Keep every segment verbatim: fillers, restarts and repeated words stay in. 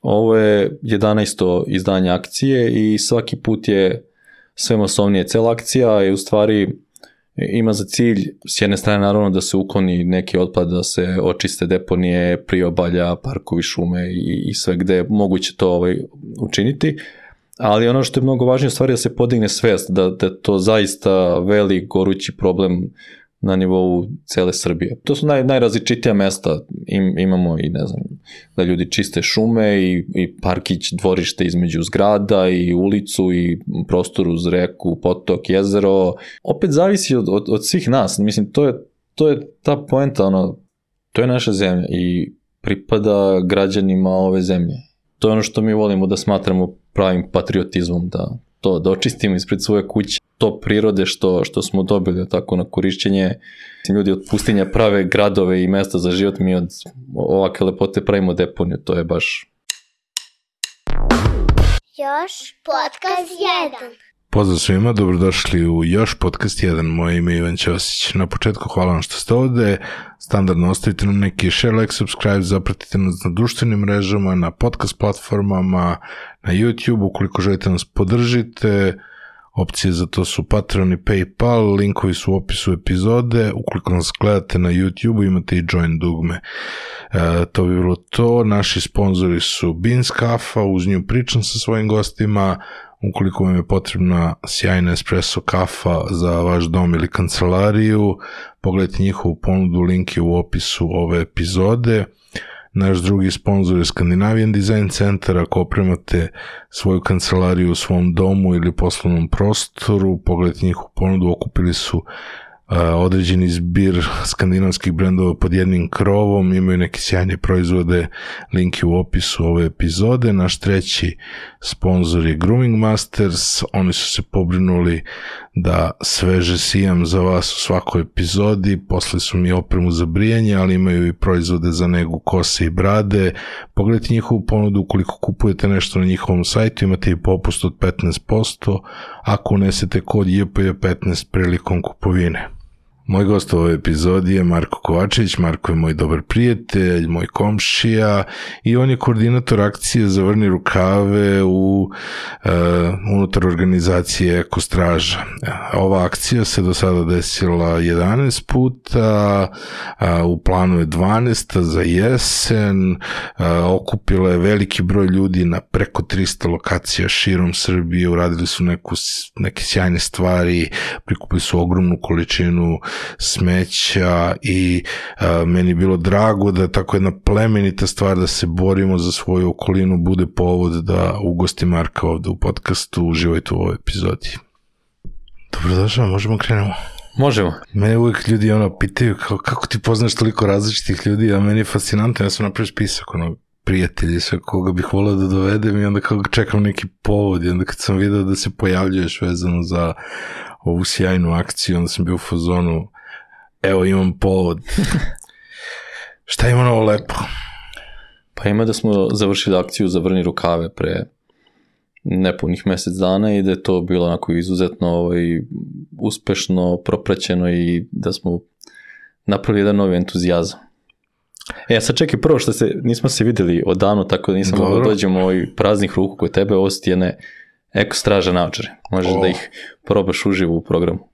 Ovo je jedanaesto izdanje akcije i svaki put je sve masovnije. Cela akcija je u stvari ima za cilj s jedne strane naravno da se ukloni neki otpad, da se očiste deponije, priobalja, parkovi, šume i, i sve gde je moguće to ovaj, učiniti. Ali ono što je mnogo važnije u stvari da se podigne svest, da, da je to zaista velik, gorući problem na nivou cele Srbije. To su naj, najrazličitija mesta. Im, imamo i, ne znam, da ljudi čiste šume i, i parkić, dvorište između zgrada i ulicu i prostor uz reku, potok, jezero. Opet zavisi od, od, od svih nas. Mislim, to je, to je ta poenta, ono, to je naša zemlja i pripada građanima ove zemlje. To je ono što mi volimo da smatramo pravim patriotizmom, da to da očistimo ispred svoje kuće, to prirode što, što smo dobili tako na korišćenje. Ljudi od pustinja prave gradove i mesta za život, mi od ovakve lepote pravimo deponiju, to je baš... Još podcast jedan. Pozdrav svima, dobrodošli u Još podcast jedan, moje ime je Ivan Ćosić. Na početku hvala vam što ste ovde, standardno ostavite nam neki share, like, subscribe, zapratite nas na društvenim mrežama, na podcast platformama, na YouTube, ukoliko želite nas podržite, opcije za to su Patreon i PayPal, linkovi su u opisu epizode, ukoliko nas gledate na YouTube imate i join dugme. E, to bi bilo to, naši sponzori su Beans kafa, uz nju pričam sa svojim gostima. Ukoliko vam je potrebna sjajna espresso kafa za vaš dom ili kancelariju, pogledajte njihovu ponudu, link je u opisu ove epizode. Naš drugi sponsor je Scandinavian Design Center. Ako opremate svoju kancelariju u svom domu ili poslovnom prostoru, pogledajte njihovu ponudu, okupili su Uh, određeni zbir skandinavskih brendova pod jednim krovom, imaju neke sjajne proizvode, link je u opisu ove epizode. Naš treći sponsor je Grooming Masters, oni su se pobrinuli da sveže sijam za vas u svakoj epizodi, posle su mi opremu za brijanje, ali imaju i proizvode za negu kose i brade. Pogledajte njihovu ponudu, ukoliko kupujete nešto na njihovom sajtu, imate i popust od petnaest posto ako unesete kod J P J petnaest prilikom kupovine. Moj gost u ovoj epizodi je Marko Kovačević. Marko je moj dobar prijatelj, moj komšija i on je koordinator akcije Zavrni rukave u uh, unutar organizacije Eko Straža. Ova akcija se do sada desila jedanaest puta, uh, u planu je dvanaest za jesen, uh, okupila je veliki broj ljudi na preko tristo lokacija širom Srbije, uradili su neku, neke sjajne stvari, prikupili su ogromnu količinu smeća i a, meni je bilo drago da tako jedna plemenita stvar da se borimo za svoju okolinu bude povod da ugosti Marka ovde u podcastu. Uživajte u ovoj epizodi. Dobrodošao, možemo krenemo? Možemo. Mene uvijek ljudi ono pitaju kao, kako ti poznaš toliko različitih ljudi, a meni je fascinantno, ja sam napravio spisak ono prijatelji, sve koga bih volao da dovedem i onda kao čekam neki povod i onda kad sam vidio da se pojavljuješ vezano za ovu sjajnu akciju, onda sam bio u fazonu, evo imam povod. Šta ima novo lepo? Pa ima da smo završili akciju Zavrni rukave pre nepunih mesec dana i da je to bilo onako izuzetno ovaj, uspešno propraćeno i da smo napravili jedan novi entuzijazam. E, sad čekaj, prvo što se, nismo se videli odavno, tako da nisam mogao dođemo ovaj praznih ruku kod tebe, ovo su ti jedne Eko Straža naočare. Možeš oh. da ih probaš uživo u programu.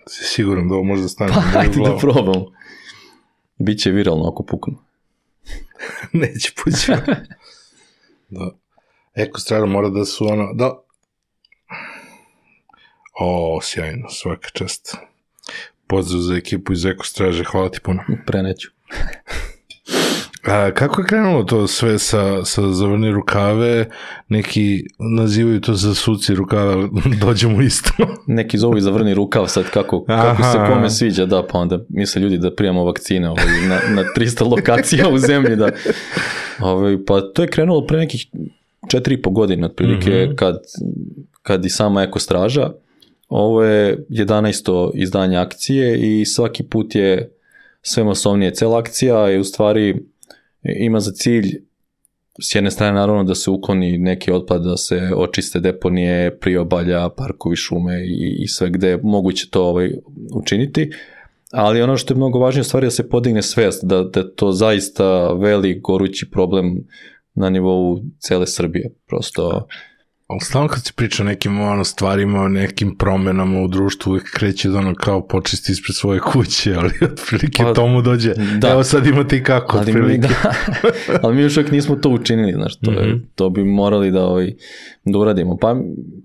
Si siguran da ovo može da stane? Pa, ajde da probam. Biće viralno ako puknu. Neće pući. Da. Eko Straža mora da su ono... Da. O, sjajno, svaka čast. Pozdrav za ekipu iz Eko Straže, hvala ti puno. Preneću. A kako je krenulo to sve sa, sa Zavrni rukave? Neki nazivaju to za suci rukave, dođemo isto. Neki zovu i Zavrni rukav sad, kako, kako se kome sviđa, da, pa onda misle ljudi da prijemo vakcine ovaj, na, na tristo lokacija u zemlji. Da. Ovaj, pa to je krenulo pre nekih četiri i po godine, otprilike, mm-hmm. kad, kad i sama Eko Straža. Ovo je jedanaesto izdanje akcije i svaki put je sve masovnije. Cela akcija je u stvari ima za cilj s jedne strane naravno da se ukloni neki otpad, da se očiste deponije, priobalja, parkovi, šume i, i sve gde je moguće to ovaj, učiniti. Ali ono što je mnogo važnije u stvari da se podigne svest, da, da je to zaista velik, gorući problem na nivou cele Srbije. Prosto... Ali stalno kad se priča o nekim ono, stvarima, o nekim promenama u društvu, uvijek kreće da ono kao počisti ispred svoje kuće, ali otprilike pa, tomu dođe, da. Evo sad imate i kako, ali mi, da, ali mi još uvijek nismo to učinili, znaš, to, mm-hmm. je, to bi morali da, ovaj, da uradimo. Pa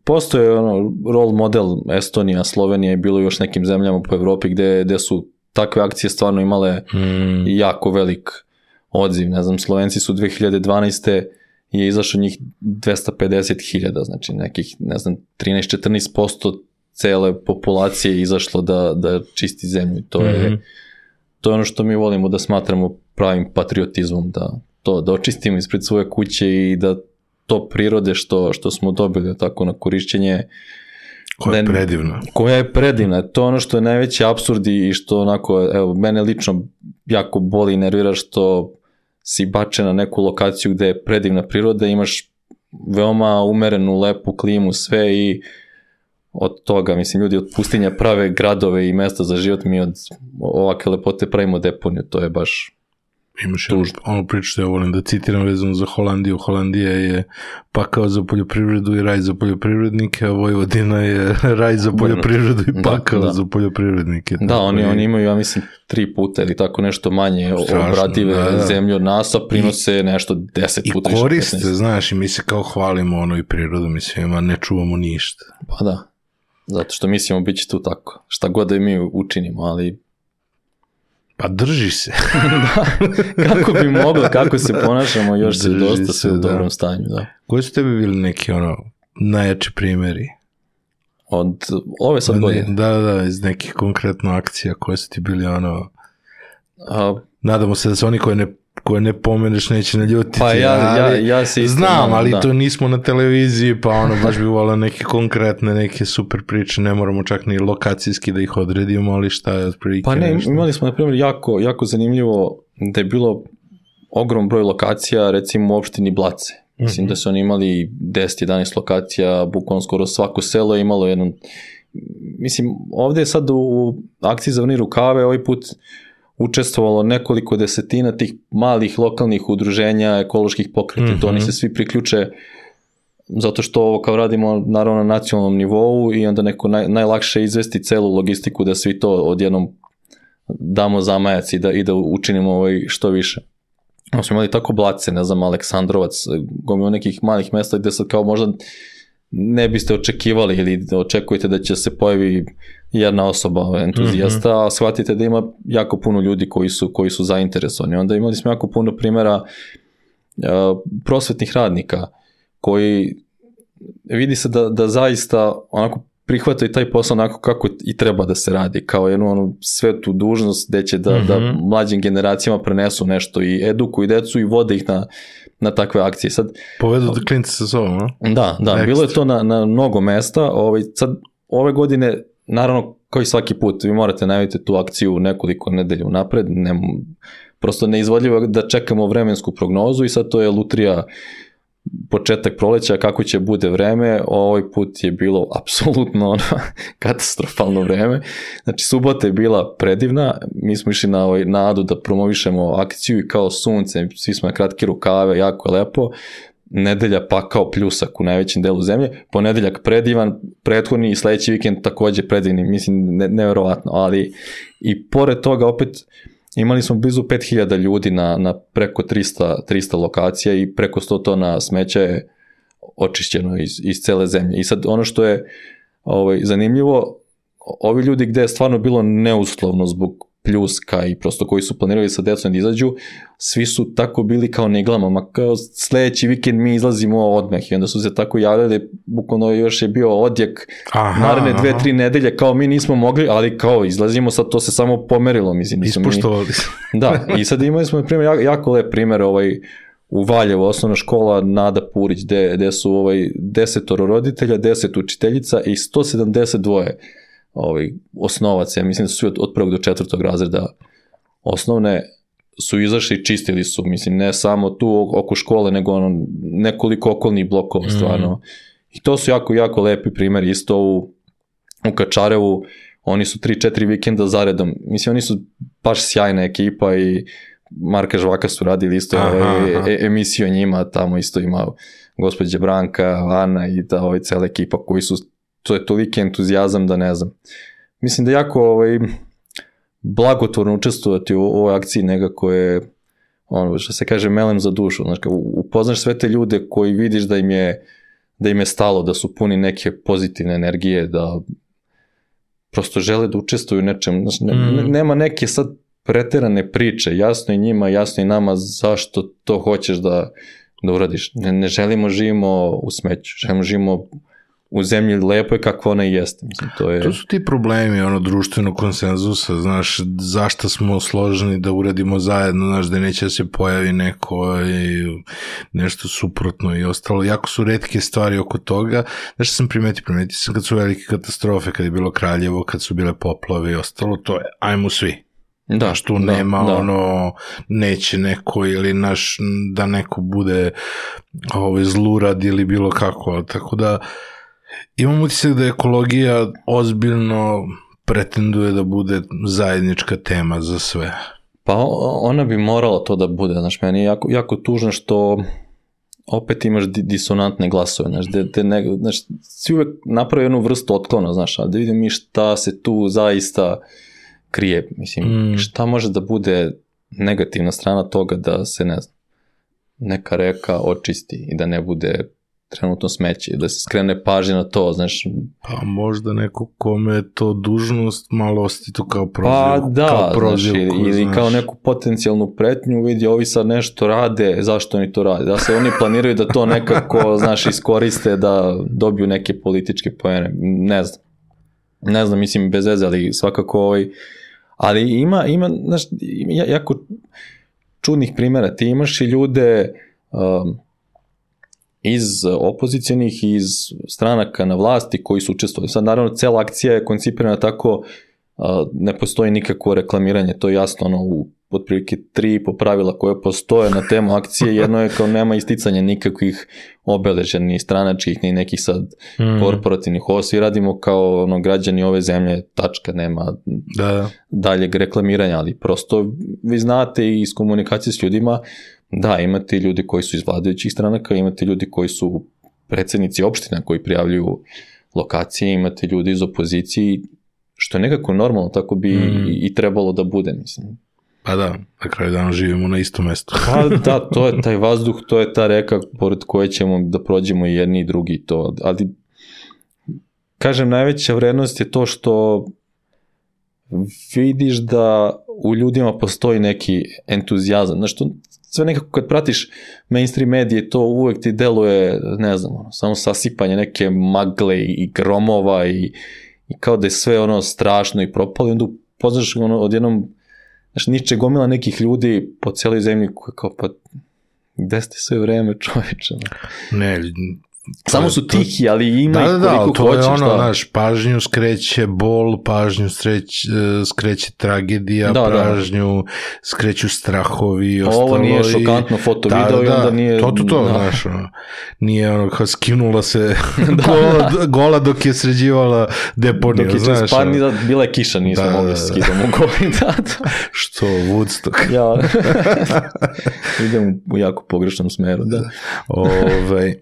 postoje ono, role model Estonija, Slovenija i bilo još nekim zemljama po Evropi gde, gde su takve akcije stvarno imale mm. jako velik odziv. Ne znam, Slovenci su dve hiljade dvanaeste je izašlo njih dvesta pedeset hiljada, znači nekih, ne znam, trinaest do četrnaest posto cele populacije je izašlo da, da čisti zemlju. To je, mm-hmm. to je ono što mi volimo da smatramo pravim patriotizmom, da to da očistimo ispred svoje kuće i da to prirode što, što smo dobili tako na korišćenje koja je predivna. Koja je predivna. To je ono što je najveći apsurd i što onako, evo, mene lično jako boli i nervira što si bačen na neku lokaciju gde je predivna priroda, imaš veoma umerenu, lepu klimu, sve i od toga, mislim, ljudi od pustinja prave gradove i mesta za život, mi od ovakve lepote pravimo deponiju, to je baš imaš tužno. Ono priču što ja volim da citiram vezano za Holandiju. Holandija je pakao za poljoprivredu i raj za poljoprivrednike, a Vojvodina je raj za poljoprivredu i pakao da, da. za poljoprivrednike. Da, oni, oni imaju, ja mislim, tri puta ili tako nešto manje obradive da, da. zemlje od nas, a prinose I, nešto deset puta više. I koriste, više, znaš, i mi se kao hvalimo ono i prirodu, mislim, a ne čuvamo ništa. Pa da, zato što mislimo bit će tu tako. Šta god da i mi učinimo, ali pa drži se. Da, kako bi moglo, kako se ponašamo, još se dosta sve u dobrom da. stanju. Da. Koji su tebi bili neki ono najjači primjeri? Od ove sad godine? Da, da, iz nekih konkretno akcija koje su ti bili ono... A, nadamo se da su oni koje ne, koje ne pomeneš neće naljutiti. Pa ja, ja, ja se isto... Znam, ali da. to nismo na televiziji, pa ono baš bi volio neke konkretne, neke super priče, ne moramo čak ni lokacijski da ih odredimo, ali šta je otprilike Pa ne, nešto. Imali smo na primjer jako, jako zanimljivo da je bilo ogrom broj lokacija, recimo u opštini Blace. Mislim mm-hmm. da su oni imali deset do jedanaest lokacija, bukvalno skoro svako selo je imalo jedan... Mislim, ovdje je sad u, u akciji za Vrni rukave ovaj put učestvovalo nekoliko desetina tih malih lokalnih udruženja, ekoloških pokreta, mm-hmm. to oni se svi priključe zato što ovo kao radimo naravno na nacionalnom nivou i onda neko naj, najlakše izvesti celu logistiku da svi to odjednom damo zamajac i da, i da učinimo ovaj što više. Ono smo imali tako Blace, ne znam, Aleksandrovac, gomilo nekih malih mesta gde sad kao možda ne biste očekivali ili očekujete da će se pojavi jedna osoba entuzijasta, mm-hmm. a shvatite da ima jako puno ljudi koji su, koji su zainteresovani. Onda imali smo jako puno primjera uh, prosvetnih radnika koji vidi se da, da zaista onako prihvataju taj posao onako kako i treba da se radi, kao jednu onu svetu dužnost gde će da, mm-hmm. da mlađim generacijama prenesu nešto i edukuju decu i vode ih na, na takve akcije. Sad, povedu da klinci sa sobom, no? Da, da, Next. bilo je to na, na mnogo mesta. Ovaj, sad, ove godine, naravno, kao i svaki put, vi morate najaviti tu akciju nekoliko nedelja unapred, ne, prosto neizvodljivo da čekamo vremensku prognozu i sad to je lutrija početak proleća, kako će bude vreme, ovaj put je bilo apsolutno ono, katastrofalno vreme. Znači, subota je bila predivna, mi smo išli na ovaj nadu da promovišemo akciju i kao sunce, svi smo na kratke rukave, jako je lepo, nedelja pa kao pljusak u najvećem delu zemlje, ponedeljak predivan, prethodni i sledeći vikend takođe predivni, mislim, ne, neverovatno, ali i pored toga opet imali smo blizu pet hiljada ljudi na, na preko trista, trista lokacija i preko sto tona smeća je očišćeno iz, iz cele zemlje. I sad ono što je ovaj, zanimljivo, ovi ljudi gde je stvarno bilo neuslovno zbog pljuska i prosto koji su planirali sa decom da izađu, svi su tako bili kao neglama, ma kao sledeći vikend mi izlazimo odmah i onda su se tako javljali, bukvalno još je bio odjek aha, naredne dve, aha. tri nedelje, kao mi nismo mogli, ali kao izlazimo, sad to se samo pomerilo, mislim. Ispoštovali. Mi... Da, i sad imali smo primjer, jako, jako lep primjer ovaj, u Valjevu, osnovna škola Nada Purić, gde, gde su ovaj, desetoro roditelja, deset učiteljica i sto sedamdeset dva ovaj, osnovaca, ja mislim da su od, od prvog do četvrtog razreda osnovne, su izašli i čistili su, mislim, ne samo tu oko škole, nego ono, nekoliko okolnih blokova, stvarno. Mm. I to su jako, jako lepi primjeri, isto u, u Kačarevu, oni su tri četiri vikenda zaredom, mislim, oni su baš sjajna ekipa i Marka Žvaka su radili isto aha, ovaj, aha. E, emisiju o njima, tamo isto ima gospođa Branka, Ana i ta ovaj, cela ekipa koji su, to je toliki entuzijazam da ne znam. Mislim da jako ovaj, blagotvorno učestvovati u ovoj akciji nekako je, ono što se kaže, melem za dušu. Znači, upoznaš sve te ljude koji vidiš da im je, da im je stalo, da su puni neke pozitivne energije, da prosto žele da učestvuju u nečem. Znači, ne, mm. nema neke sad preterane priče, jasno je njima, jasno je nama zašto to hoćeš da, da uradiš. Ne, ne želimo živimo u smeću, želimo živimo u zemlji lepo je kako ona i jeste. Mislim, to, je... to su ti problemi ono, društvenog konsenzusa, znaš, zašto smo složeni da uradimo zajedno, znaš, da neće da se pojavi neko i nešto suprotno i ostalo. Jako su retke stvari oko toga. Znaš što sam primetio? Primetio sam kad su velike katastrofe, kad je bilo Kraljevo, kad su bile poplave i ostalo, to je, ajmo svi. Da, znaš, tu da, nema da. ono, neće neko ili naš, da neko bude ovaj, zlurad ili bilo kako, tako da imam utisak da ekologija ozbiljno pretenduje da bude zajednička tema za sve. Pa ona bi morala to da bude, znaš, meni je jako, jako tužno što opet imaš disonantne glasove, znaš, de, de ne, znaš, si uvek napravi jednu vrstu otklona, znaš, ali da vidim mi šta se tu zaista krije, mislim, mm. šta može da bude negativna strana toga da se, ne znam, neka reka očisti i da ne bude trenutno smeće, da se skrene pažnje na to, znaš. Pa možda neko kome je to dužnost, malo osti to kao prozivku. Pa da, kao prozivku, znaš, ili znaš. Kao neku potencijalnu pretnju, vidi, ovi sad nešto rade, zašto oni to rade? Da se oni planiraju da to nekako, znaš, iskoriste, da dobiju neke političke poene, ne znam. Ne znam, mislim, bez veze, ali svakako ovaj, ali ima, ima, znaš, jako čudnih primjera, ti imaš i ljude um, iz opozicijalnih i iz stranaka na vlasti koji su učestvovali. Sad naravno cela akcija je koncipirana tako, a, ne postoji nikakvo reklamiranje, to je jasno, ono, u otprilike tri po pravila koje postoje na temu akcije, jedno je kao nema isticanja nikakvih obeležja, ni stranačkih, ni nekih sad mm. korporativnih, ovo svi radimo kao ono, građani ove zemlje, tačka, nema da. daljeg reklamiranja, ali prosto vi znate i iz komunikacije s ljudima, da, imate ljudi koji su iz vladajućih stranaka, imate ljudi koji su predsednici opština koji prijavljuju lokacije, imate ljudi iz opozicije, što je nekako normalno, tako bi mm. i, i trebalo da bude, mislim. Pa da, na kraju dana živimo na istom mestu. Pa da, to je taj vazduh, to je ta reka pored koje ćemo da prođemo i jedni i drugi to, ali kažem, najveća vrednost je to što vidiš da u ljudima postoji neki entuzijazam, znaš, to sve nekako kad pratiš mainstream medije, to uvek ti deluje, ne znam, ono, samo sasipanje neke magle i gromova i, i kao da je sve ono strašno i propalo i onda upoznaš ono, odjednom, znaš, niče gomila nekih ljudi po cijeloj zemlji koji kao pa gde ste sve vreme, čoveče? Ne, samo su tihi, ali ima da, ih koliko hoćeš. Da, da, to je ono, da. Znaš, pažnju skreće bol, pažnju skreće, skreće tragedija, da, pažnju da. skreću strahovi i ostalo. Ovo nije šokantno foto da, video da, i onda nije... To, to, to, da. znaš, ono, nije ono, kao skinula se gola, gola dok je sređivala deponiju, dok je znaš. Pa ono, bila je kiša, nismo da, mogli da, da. skidamo goli, da, da. Što, Woodstock. Ja, idem u jako pogrešnom smeru, da. Ove,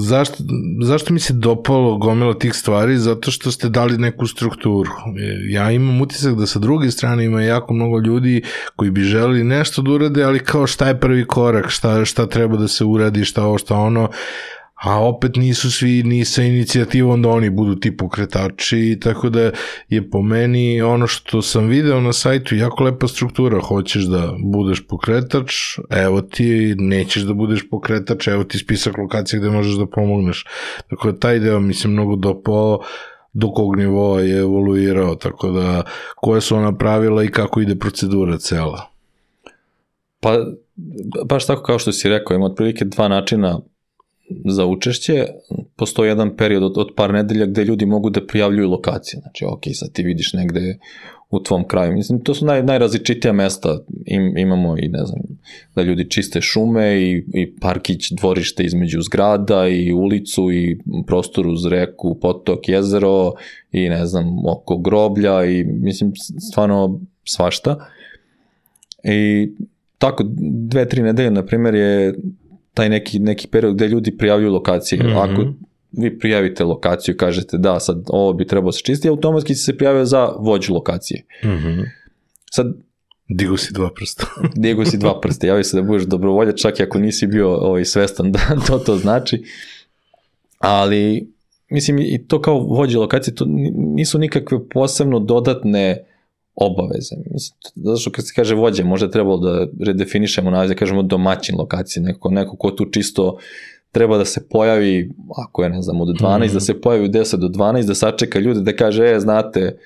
zašto, zašto mi se dopalo gomila tih stvari? Zato što ste dali neku strukturu. Ja imam utisak da sa druge strane ima jako mnogo ljudi koji bi želeli nešto da urade, ali kao šta je prvi korak, šta, šta treba da se uradi, šta ovo, šta ono, a opet nisu svi ni sa inicijativom da oni budu ti pokretači, tako da je po meni ono što sam video na sajtu jako lepa struktura, hoćeš da budeš pokretač, evo ti, nećeš da budeš pokretač, evo ti spisak lokacija gde možeš da pomogneš, tako da taj deo mi se mnogo dopao, do kog nivoa je evoluirao, tako da koje su ona pravila i kako ide procedura cela. Pa, baš tako kao što si rekao, ima otprilike dva načina za učešće. Postoji jedan period od, od par nedelja gde ljudi mogu da prijavljuju lokacije. Znači, ok, sad ti vidiš negde u tvom kraju. Mislim, to su naj, najrazličitija mesta. Im, imamo i, ne znam, da ljudi čiste šume i, i parkić, dvorište između zgrada i ulicu i prostor uz reku, potok, jezero i, ne znam, oko groblja i, mislim, stvarno svašta. I tako dve, tri nedelje, na primjer, je taj neki, neki period gdje ljudi prijavljuju lokacije. Mm-hmm. Ako vi prijavite lokaciju i kažete da, sad ovo bi trebalo se čistiti, automatski se prijavio za vođu lokacije. Mm-hmm. Sad, digu si dva prsta. digu si dva prsta, javi se da budeš dobrovoljač, čak i ako nisi bio ovaj, svestan da to to znači. Ali, mislim, i to kao vođe lokacije, to nisu nikakve posebno dodatne obaveze. Mislim, zato što kad se kaže vođe, možda trebalo da redefinišemo naziv, da kažemo domaćin lokacije, neko, neko ko tu čisto treba da se pojavi, ako je, ne znam, od dvanaest, mm. da se pojavi u deset do dvanaest, da sačeka ljude, da kaže, e, znate,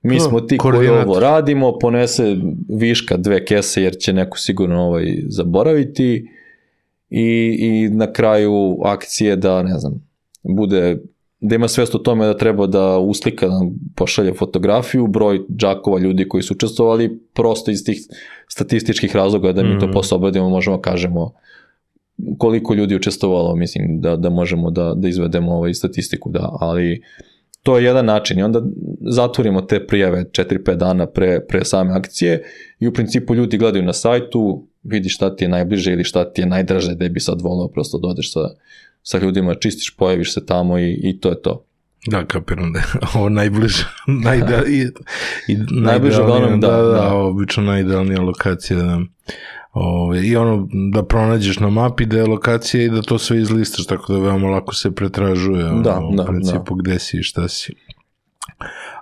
mi smo ti koji ovo radimo, ponese viška dve kese, jer će neko sigurno ovaj zaboraviti i, i na kraju akcije da, ne znam, bude, da ima svest o tome da treba da uslika, da pošalje fotografiju, broj džakova ljudi koji su učestvovali, prosto iz tih statističkih razloga da mi mm. to posle obradimo, možemo kažemo koliko ljudi učestvovalo, mislim da, da možemo da, da izvedemo ovaj statistiku, da, ali to je jedan način i onda zatvorimo te prijave četiri pet dana pre, pre same akcije i u principu ljudi gledaju na sajtu, vidi šta ti je najbliže ili šta ti je najdraže da bi sad volao prosto da odeš sa, sa ljudima, čistiš, pojaviš se tamo i, i to je to. Da, kapiram da je ovo najbliže, najda, i, i najbliže uglavnom, da, da, da, da, obično najidealnija lokacija, da. Ove, i ono da pronađeš na mapi da je lokacija i da to sve izlistaš, tako da veoma lako se pretražuje ono, da, u da, principu da. gde si i šta si.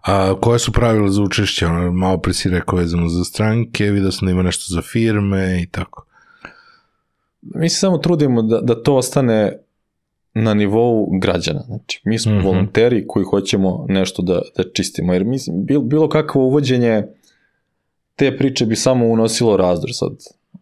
A koje su pravila za učešće? Ono, malo pre si rekao vezano za stranke, vidio sam da ima nešto za firme i tako. Mi se samo trudimo da, da to ostane na nivou građana. Znači, mi smo mm-hmm. volonteri koji hoćemo nešto da, da čistimo, jer mislim, bilo, bilo kakvo uvođenje te priče bi samo unosilo razdor sad.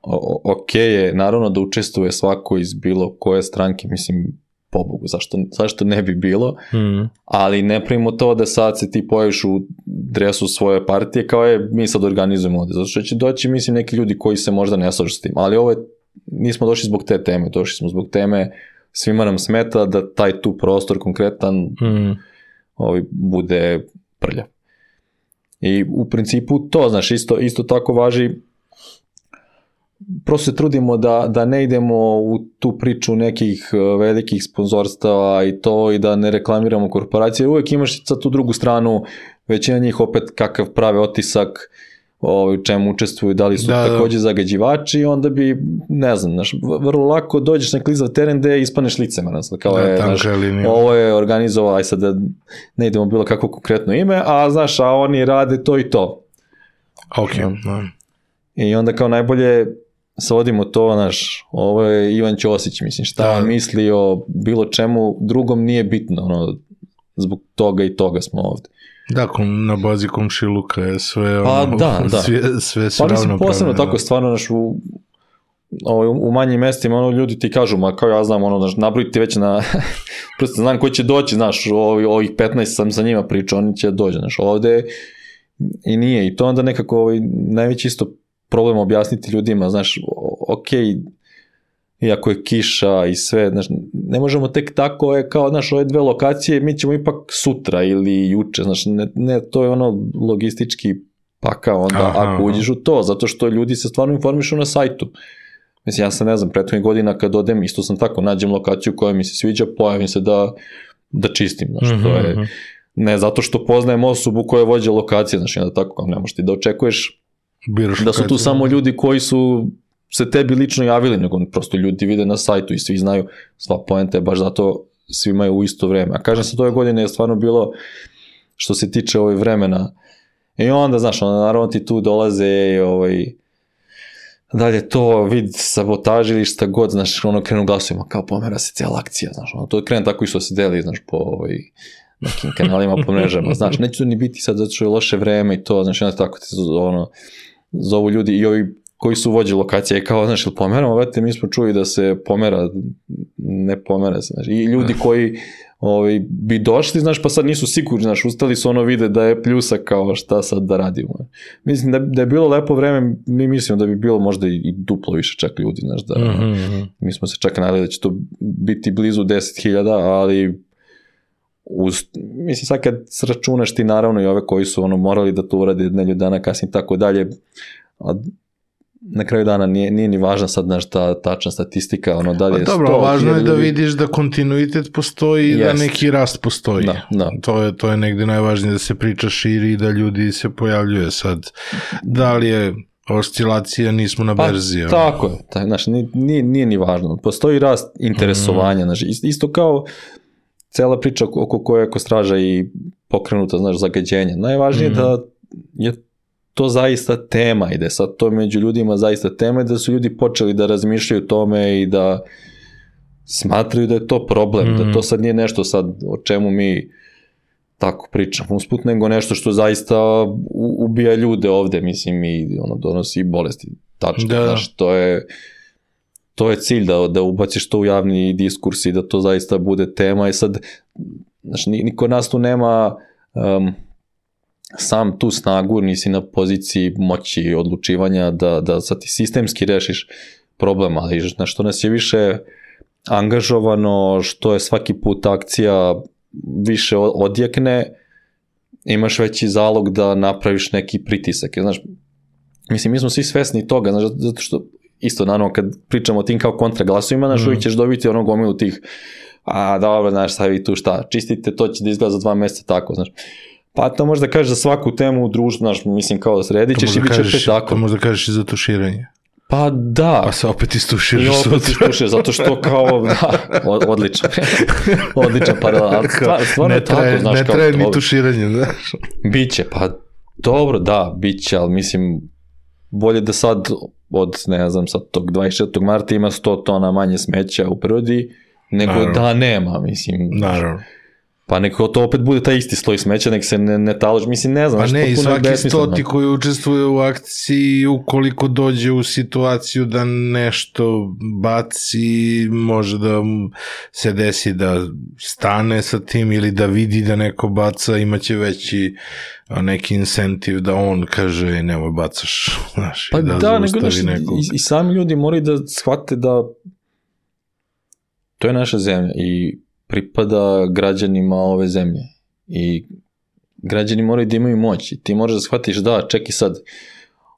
O, ok je, naravno da učestvuje svako iz bilo koje stranke, mislim, pobogu, zašto, zašto ne bi bilo, mm. ali ne primimo to da sad se ti pojaviš u dresu svoje partije, kao je, mi sad organizujemo ovde, zato što će doći, mislim, neki ljudi koji se možda ne slažu s tim, ali ovo je, nismo došli zbog te teme, došli smo zbog teme, svima nam smeta da taj tu prostor konkretan mm. ovaj, bude prljav. I u principu to, znaš, isto, isto tako važi, prosto se trudimo da, da ne idemo u tu priču nekih velikih sponzorstava i to i da ne reklamiramo korporacije, uvijek imaš sad tu drugu stranu, većina njih opet kakav prave otisak, u čemu učestvuju, da li su da, također zagađivači i onda bi, ne znam, znaš, vrlo lako dođeš na klizav teren gde ispaneš licemeran, kao je, znaš, ovo je organizovao, aj sad da ne idemo bilo kako konkretno ime, a znaš, a oni rade to i to. Ok. Ja. I onda kao najbolje svodimo to, znaš, ovo je Ivan Ćosić, mislim, šta da. misli o bilo čemu drugom nije bitno, ono, zbog toga i toga smo ovde. Da, na bazi komšiluka je sve, pa, ono, da, da. sve, sve su pa, ravnopravne. Pa posebno tako stvarno, znaš, u, u manjim mestima, ono, ljudi ti kažu, ma kao ja znam, ono, znaš, nabrojiti već na, prosto znam ko će doći, znaš, ovi, ovih petnaest sam sa njima pričao, oni će dođe, znaš, ovde i nije, i to onda nekako ovaj, najveći isto problem objasniti ljudima, znaš, okej, okay, iako je kiša i sve, znaš, ne možemo tek tako, je kao, znaš, ove dve lokacije, mi ćemo ipak sutra ili juče, znaš, ne, ne to je ono logistički pakao, onda aha, ako uđeš u to, zato što ljudi se stvarno informišu na sajtu. Mislim, ja sam, ne znam, prethodnih godina kad odem, isto sam tako, nađem lokaciju koja mi se sviđa, pojavim se da, da čistim, znaš, mm-hmm. to je, ne zato što poznajem osobu koja vođe lokacije, znaš, onda tako, ne možeš ti da očekuješ Biraš da su tu samo ljudi koji su se tebi lično javili, nego prosto ljudi vide na sajtu i svi znaju, sva poenta je baš zato svi imaju u isto vreme. A kažem se, ove godine je stvarno bilo, što se tiče ovaj vremena, i onda, znaš, onda naravno ti tu dolaze i ovaj, dalje to vid sabotaži ili šta god, znaš, ono krenu glasovima, kao pomera se cijela akcija, znaš, ono, to krenu tako i što se deli, znaš, po ovaj, nekim kanalima, po mrežama, znaš, neće ni biti sad zato što je loše vreme i to, znaš, onda tako ti ono, zovu ljudi i ovi koji su vođe lokacije, kao, znaš, ili pomeramo, vete, mi smo čuli da se pomera, ne pomera se, znaš, i ljudi koji ovaj, bi došli, znaš, pa sad nisu sigurni, znaš, ustali su ono vide da je pljusa kao šta sad da radimo. Mislim da, da je bilo lepo vreme, mi mislimo da bi bilo možda i, i duplo više čak ljudi, znaš, da, mm-hmm. mi smo se čak nadali da će to biti blizu deset hiljada, ali uz, mislim, sad kad sračunaš ti naravno i ove koji su ono morali da to urade nedelju dana kasnije tako dalje, a na kraju dana nije, nije ni važna sad znaš ta tačna statistika, ono da li je pa dobro, važno je da vidiš da kontinuitet postoji i yes. da neki rast postoji. Da, da. To je, to je negde najvažnije, da se priča širi i da ljudi se pojavljuje sad. Da li je oscilacija, nismo na berzi. Pa, tako je, tak, znaš, nije, nije ni važno. Postoji rast interesovanja, mm. znaš, isto kao cela priča oko koje je Kostraža i pokrenuta, znaš, zagađenje. Najvažnije mm. da je to zaista tema i da je sad to među ljudima zaista tema i da su ljudi počeli da razmišljaju o tome i da smatraju da je to problem, mm. da to sad nije nešto sad o čemu mi tako pričamo usput, nego nešto što zaista ubija ljude ovde, mislim, i ono donosi bolesti. Tačno, da. Znaš, to je to je cilj da, da ubaciš to u javni diskurs i da to zaista bude tema i sad, znaš, niko nas tu nema um, sam tu snagu, nisi na poziciji moći odlučivanja da, da sad ti sistemski rešiš problem, ali na što nas je više angažovano, što je svaki put akcija više odjekne, imaš veći zalog da napraviš neki pritisak. Znaš, mislim, mi smo svi svesni toga, znaš, zato što isto, naravno, kad pričamo o tim kao kontraglasovima, znaš, mm. uvijek ćeš dobiti ono gomilu tih, a dobro, znaš, sad vi tu šta, čistite, to će da izgleda za dva mjeseca tako, znaš. Pa to možda kažeš za svaku temu u društvu, znaš, mislim, kao da sredit ćeš i bit će opet tako. To možda kažeš i za tuširanje. Pa da. Pa se opet istuširaš. I opet istuširaš, zato što kao, da, odlično. Odličan paralel. Ali stvarno je tako, znaš, ne kao... Ne traje ni tuširanje, znaš. Biće, pa dobro, da, biće, ali mislim, bolje da sad od, ne znam, sad tog dvadeset četvrtog marta ima sto tona manje smeća u prirodi, nego naravno. Da nema, mislim. Naravno. Pa neko to opet bude taj isti sloj smeća, nek se ne, ne taloži, mislim, ne znam. Pa ne, i svaki stoti koji učestvuje u akciji, ukoliko dođe u situaciju da nešto baci, može da se desi da stane sa tim ili da vidi da neko baca, imaće veći neki incentiv da on kaže nemoj bacaš, znaš, pa i da, da zaustavi nego, nekog. I, I sami ljudi moraju da shvate da to je naša zemlja i pripada građanima ove zemlje i građani moraju da imaju moć i ti možeš da shvatiš da, čekaj sad,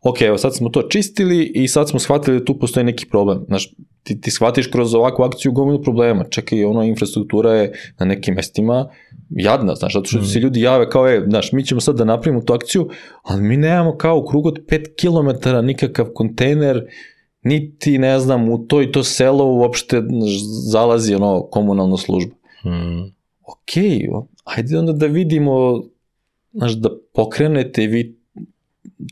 ok, evo sad smo to čistili i sad smo shvatili da tu postoji neki problem, znaš, ti, ti shvatiš kroz ovakvu akciju gomilu problema, čekaj, ono, infrastruktura je na nekim mestima jadna, znaš, zato što mm. se ljudi jave kao, e, znaš, mi ćemo sad da napravimo tu akciju, ali mi nemamo kao u krugu od pet kilometara nikakav kontejner, niti, ne znam, u to i to selo uopšte zalazi ono komunalna služba. Hmm. Ok, ajde onda da vidimo, znaš, da pokrenete vi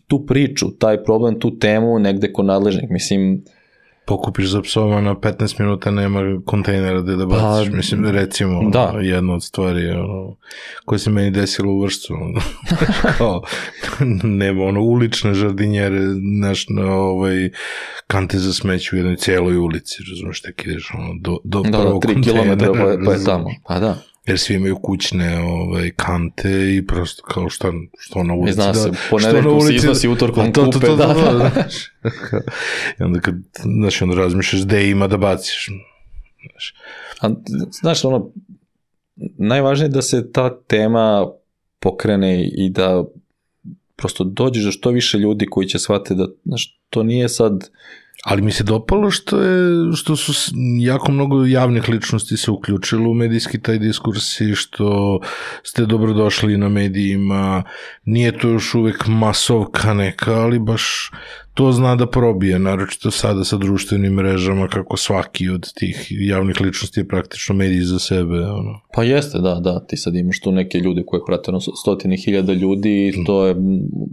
tu priču, taj problem, tu temu negde kod nadležnih, mislim... Pokupiš za psovima na petnaest minuta, nema kontejnera gde da baciš, pa, mislim, recimo, da. Jedna od stvari, ono, koje se meni desilo u Vršcu, kao, nema, ono, ulične žardinjere, znaš, na ovaj, kante za smeću u jednoj cijeloj ulici, razumiješ, tako ideš, ono, do, do da, prvog tri kilometra pa, pa je tamo, pa da. Jer svi imaju kućne ovaj, kante i prosto kao šta, što na ulici. Zna se, da, ponedeljkom se iznosi utorkom to, kupe. To, to, da, da, da, da. I onda kad, znaš, onda razmišljaš gde ima da baciš. Znaš, A, znaš ono, najvažnije je da se ta tema pokrene i da prosto dođeš do što više ljudi koji će shvatiti da, znaš, to nije sad... Ali mi se dopalo što je, što su jako mnogo javnih ličnosti se uključilo u medijski taj diskurs i što ste dobrodošli na medijima, nije to još uvek masovka neka, ali baš to zna da probije, naročito sada sa društvenim mrežama, kako svaki od tih javnih ličnosti je praktično medij za sebe. Ono. Pa jeste, da, da, ti sad imaš tu neke ljude koje prate ono, stotine hiljada ljudi i to je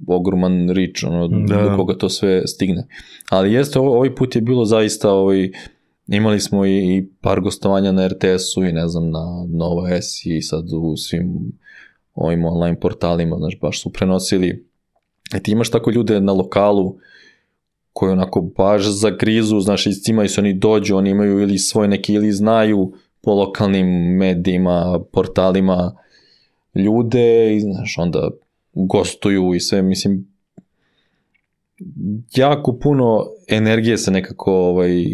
ogroman rič, ono, da. Do koga to sve stigne. Ali jeste, ovaj put je bilo zaista, ovaj, imali smo i, i par gostovanja na er te esu i ne znam, na Nova S i sad u svim ovim online portalima, znaš, baš su prenosili. I ti imaš tako ljude na lokalu koji onako baš zagrizu, znaš, iz cima i se oni dođu, oni imaju ili svoj neki, ili znaju po lokalnim medijima, portalima ljude i, znaš, onda gostuju i sve, mislim, jako puno energije se nekako ovaj,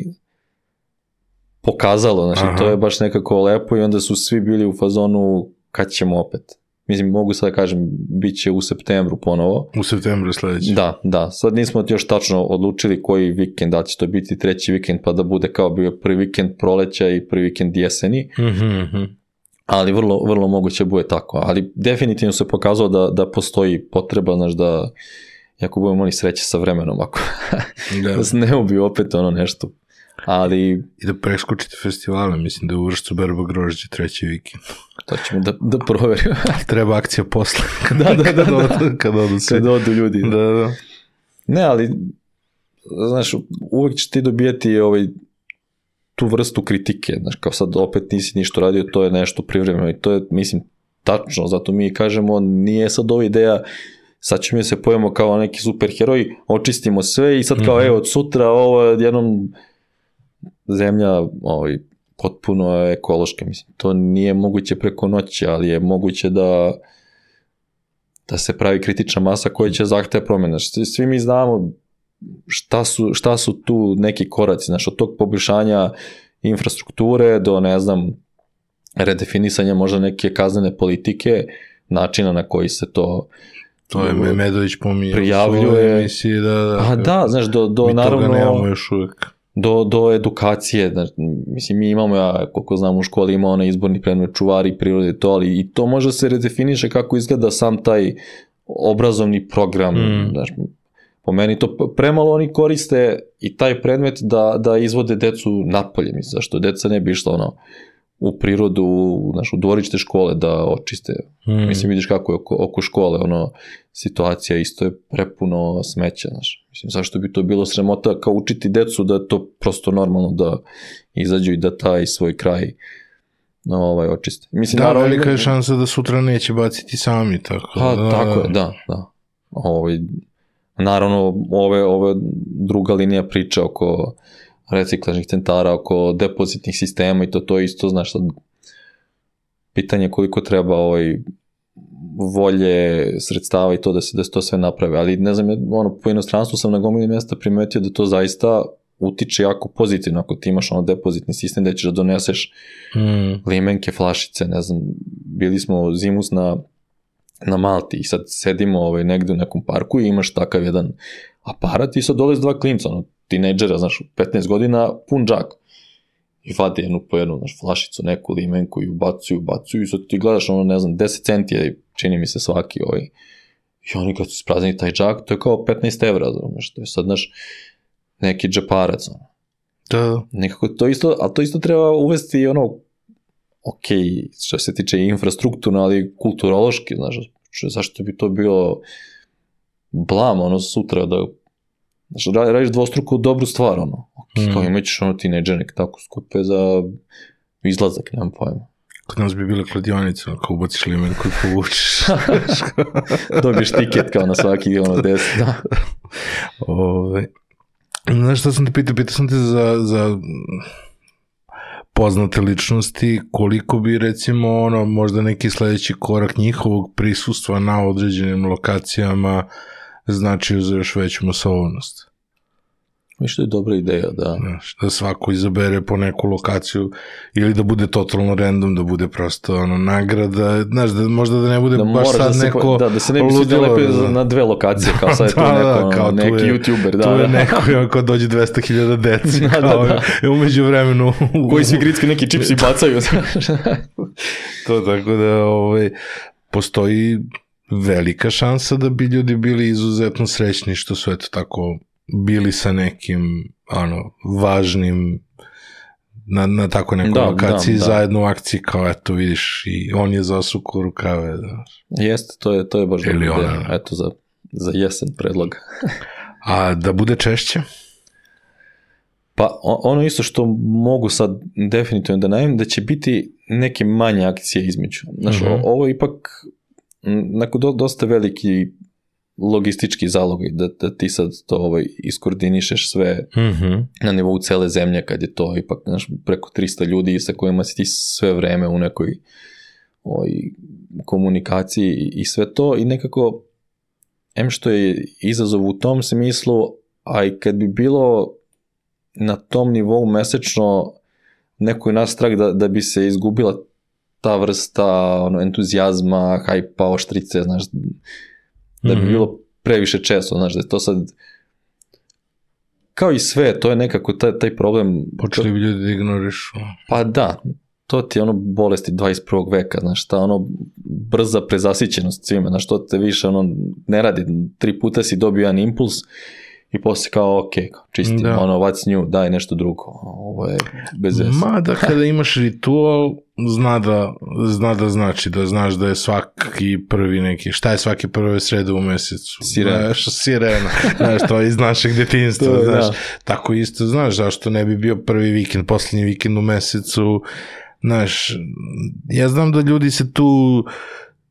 pokazalo, znači, to je baš nekako lepo i onda su svi bili u fazonu kad ćemo opet. mislim, mogu sad da kažem, bit će u septembru ponovo. U septembru sljedeći. Da, da, sad nismo još tačno odlučili koji vikend, da će to biti treći vikend, pa da bude kao bio prvi vikend proleća i prvi vikend jeseni, Mm-hmm. ali vrlo, vrlo moguće bude tako, ali definitivno se pokazalo da, da postoji potreba, znaš, da ako budemo imali sreće sa vremenom, ako da, da se ne ubiju opet ono nešto. Ali... I da preskočite festivale, mislim da je u Vršcu berba grožđe treći vikend. To ćemo da, da proverimo. Treba akcija posle. da, da, da, kad, da. Odu, kad odu svi. Kad odu ljudi. Da, da. Ne, ali, znaš, uvijek će ti dobijeti ovaj, tu vrstu kritike, znaš, kao sad opet nisi ništa radio, to je nešto privremeno i to je, mislim, tačno, zato mi kažemo, nije sad ova ideja, sad ćemo se pojemo kao neki superheroji, očistimo sve i sad kao, mm-hmm. evo, od sutra ovo jednom zemlja ovaj, potpuno ekološka, mislim, to nije moguće preko noći, ali je moguće da da se pravi kritična masa koja će zahteva promjena. Svi mi znamo šta su, šta su tu neki koraci, znači od tog poboljšanja infrastrukture do, ne znam, redefinisanja možda neke kaznene politike, načina na koji se to to je Medović pominjao prijavljuje. Emisiji, da, da, a da, znaš, do, do mi naravno toga nemamo još uvijek. Do, do edukacije, znači, mislim, mi imamo, ja, koliko znam, u školi ima onaj izborni predmet čuvari prirode, to, ali i to može se redefiniše kako izgleda sam taj obrazovni program, mm. znači, po meni to premalo oni koriste i taj predmet da, da izvode decu napolje, mislim, zašto deca ne bi išla ono, u prirodu, u našu dvorište škole da očiste. Mm. Mislim, vidiš kako je oko, oko škole, ono, situacija isto je prepuno smeća, znaš. Mislim, zašto bi to bilo sramota kao učiti decu da je to prosto normalno da izađu i da taj svoj kraj ovaj, očiste. Mislim, da, naravno, velika je šansa da sutra neće baciti sami, tako. Pa, da, tako je, da, da. Ovaj, naravno, ove, ove druga linija priča oko reciklažnih centara, oko depozitnih sistema i to, to isto, znaš, sad, pitanje koliko treba ovaj, volje, sredstava i to da se, da se to sve naprave, ali ne znam, ono, po inostranstvu sam na gomili mjesta primetio da to zaista utiče jako pozitivno, ako ti imaš ono depozitni sistem da ćeš da doneseš mm. limenke, flašice, ne znam, bili smo zimus na, na Malti i sad sedimo ovaj, negde u nekom parku i imaš takav jedan aparat i sad dolaze dva klinca, ono, tinejdžera, znaš, petnaest godina, pun džak. I vade jednu po jednu, znaš, flašicu, neku limenku i ubacuju, ubacuju i sad ti gledaš, ono, ne znam, deset centi je, čini mi se svaki, ovaj. I oni kad su ispraznili taj džak, to je kao petnaest evra, znaš, to je sad, znaš, neki džeparac, ono. Da. Nekako to isto, ali to isto treba uvesti, ono, ok, što se tiče infrastrukturno, ali kulturološki, znaš, zašto bi to bilo blam, ono, sutra da znači, radiš dvostruku dobru stvar, ono. Okay, mm. kao imat ćeš ono tinejdžer nek tako skupe za izlazak, nemam pojma. Kod nas bi bila kladionice, ako ubaciš limenku i povučiš. Dobiješ tiket kao na svaki ono deset, da. Ove, znaš šta sam te pitao? Pitao sam te za, za poznate ličnosti, koliko bi recimo ono, možda neki sledeći korak njihovog prisustva na određenim lokacijama značio za još veću masovnost. Mislim što je dobra ideja, da. Znaš, da svako izabere po neku lokaciju ili da bude totalno random, da bude prosto ono, nagrada, znaš, da, možda da ne bude da baš sad da neko po, da, da se ne bi svi lepe na dve lokacije, kao sad je tu neko, da, kao neki tu je, youtuber, da. Tu je da. neko ko dođe dvesta hiljada deci, da, kao da, da. umeđu vremenu. Koji svi gricki neki čipsi bacaju. To tako da ovaj, postoji velika šansa da bi ljudi bili izuzetno srećni što su eto tako bili sa nekim ono, važnim na, na tako nekoj da, lokaciji da, da. Zajedno u akciji kao eto vidiš i on je zasuku rukave. Da. Jeste, to je, to je baš dobro ideja. Eto za, za jesen predlog. A da bude češće? Pa ono isto što mogu sad definitivno da najavim, da će biti neke manje akcije između. Znaš, uh-huh. ovo je ipak nakon do, dosta veliki logistički zalog da, da ti sad to ovaj, iskoordinišeš sve mm-hmm. na nivou cele zemlje kad je to ipak znaš, preko tristo ljudi sa kojima si ti sve vreme u nekoj ovaj, komunikaciji i, i sve to i nekako em što je izazov u tom smislu, a i kad bi bilo na tom nivou mesečno neko je naš strah da, da bi se izgubila ta vrsta ono, entuzijazma, hajpa, oštrice, znaš, da bi mm-hmm. bilo previše često, znaš, da je to sad kao i sve, to je nekako taj, taj problem. Počeli bi ljudi da ignorišu. Pa da, to ti je ono bolesti dvadeset prvog veka, znaš, ta ono brza prezasićenost svime, znaš, to te više ono ne radi, tri puta si dobio jedan impuls i posle kao, ok, čistim, da. Ono, what's new, daj nešto drugo, ovo je bez veze. Ma da kada imaš ritual, zna da, zna da znači, da znaš da je svaki prvi neki, šta je svaki prve srede u mesecu? Sirena. Znaš, sirena, znaš, to je iz našeg djetinjstva, to, znaš, da. Tako isto, znaš, zašto ne bi bio prvi vikend, posljednji vikend u mesecu, znaš, ja znam da ljudi se tu,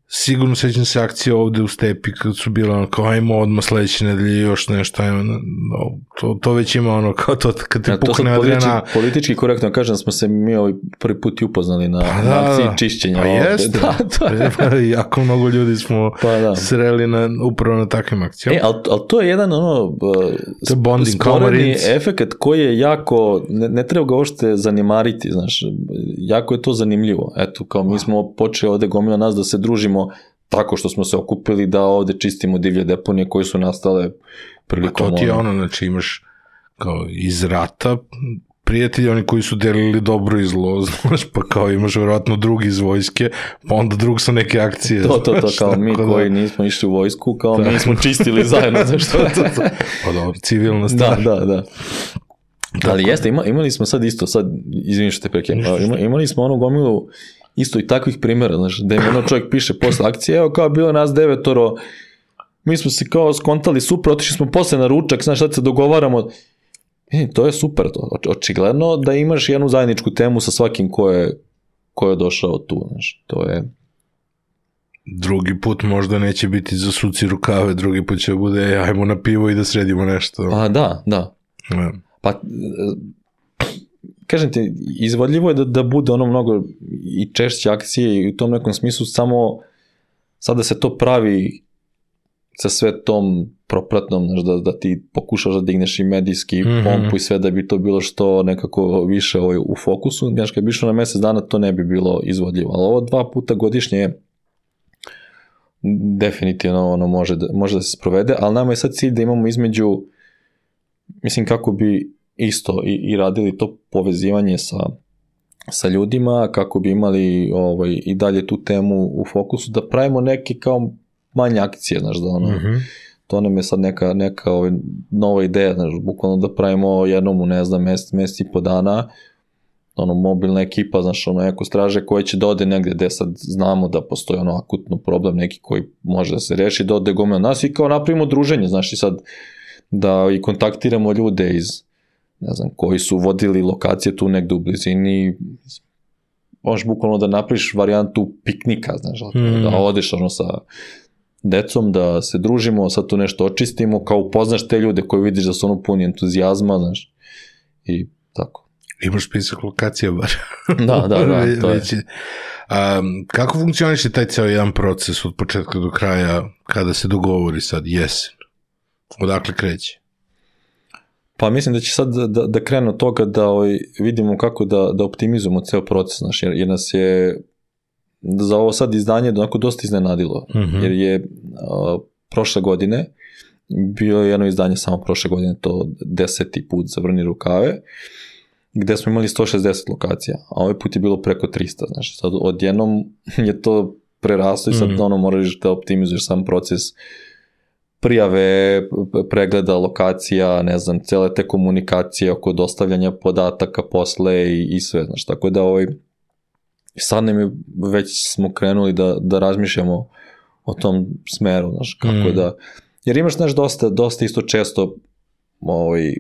sigurno sećam se akcije ovde u Stepi kad su bile ono kao ajmo odmah sledeće nedelje još nešto, ajmo, no, to, to već ima ono kao to kad ti ja, pukne adrena. Politički, politički korektno kažem da smo se mi ovaj prvi put i upoznali na, pa na akciji čišćenja. Pa jeste, da, da. Jako mnogo ljudi smo pa da. Sreli na, upravo na takvim akcijama. E, ali, ali to je jedan ono uh, sporedni efekt koji je jako, ne, ne treba ga ošte zanimariti, znaš, jako je to zanimljivo. Eto, kao mi smo počeli ovde gomila nas da se družimo tako što smo se okupili da ovde čistimo divlje deponije koje su nastale prilikom... A to ti je ono, znači imaš kao iz rata prijatelji, oni koji su delili dobro i zlo, znaš, pa kao imaš vjerojatno drugi iz vojske, pa onda drug su neke akcije. To, to, to, kao mi koji nismo išli u vojsku, kao mi smo čistili zajedno, znaš što to. Pa dobro, civilna stvar. Da, da, da. Ali jeste, ima, imali smo sad isto, sad, izvini što te prekijem, ima, imali smo onu gomilu isto i takvih primjera, znaš, da im ono čovjek piše posle akcije, evo kao bilo nas devetoro, mi smo se kao skontali super, otišli smo posle na ručak, znaš, sad se dogovaramo, e, to je super, to, očigledno da imaš jednu zajedničku temu sa svakim ko je, ko je došao tu, znaš, to je... Drugi put možda neće biti za suci rukave, drugi put će bude, ajmo na pivo i da sredimo nešto. A, da, da. Ja. Pa... Kažem ti, izvodljivo je da, da bude ono mnogo i češće akcije i u tom nekom smislu, samo sada se to pravi sa sve tom propratnom, znaš, da, da ti pokušaš da digneš i medijski mm-hmm. pompu i sve da bi to bilo što nekako više ovaj, u fokusu, znaš, kad bi išlo na mesec dana to ne bi bilo izvodljivo, ali ovo dva puta godišnje je definitivno ono može da, može da se sprovede, ali nama je sad cilj da imamo između, mislim kako bi isto i, i radili to povezivanje sa, sa ljudima, kako bi imali ovaj, i dalje tu temu u fokusu, da pravimo neke kao manje akcije, znaš, da ono, mm-hmm. to nam je sad neka, neka ovaj, nova ideja, znaš, bukvalno da pravimo jednom u, ne znam, mjesec, mjesec i po dana, ono, mobilna ekipa, znaš, ono, eko straže koje će da ode negde gde sad znamo da postoji ono akutno problem neki koji može da se reši, da ode gomila nas i kao napravimo druženje, znaš, i sad da i kontaktiramo ljude iz ne znam, koji su vodili lokacije tu negde u blizini, možeš bukvalno da napriš varijantu piknika, znaš, mm. da odeš ono sa decom, da se družimo, sad tu nešto očistimo, kao upoznaš te ljude koji vidiš da su ono puni entuzijazma, znaš, i tako. Imaš spisak lokacija bar. Da, da, da, to je. Um, kako funkcioniše taj ceo jedan proces od početka do kraja, kada se dogovori sad jesen? Odakle kreće? Pa mislim da će sad da, da krenu od toga da ovaj, vidimo kako da, da optimizujemo ceo proces, znaš, jer, jer nas je za ovo sad izdanje onako dosta iznenadilo, mm-hmm. jer je a, prošle godine bio jedno izdanje samo prošle godine, to deseti put za Vrni rukave, gde smo imali sto šezdeset lokacija, a ovaj put je bilo preko trista, znaš, sad odjednom je to preraslo i sad mm-hmm. ono moraš da optimizuješ sam proces prijave, pregleda lokacija, ne znam, cele te komunikacije oko dostavljanja podataka posle i, i sve, znaš, tako da ovaj, sad nam je, već smo krenuli da, da razmišljamo o tom smeru, znaš, kako mm. da, jer imaš, znaš, dosta, dosta isto često, ovaj,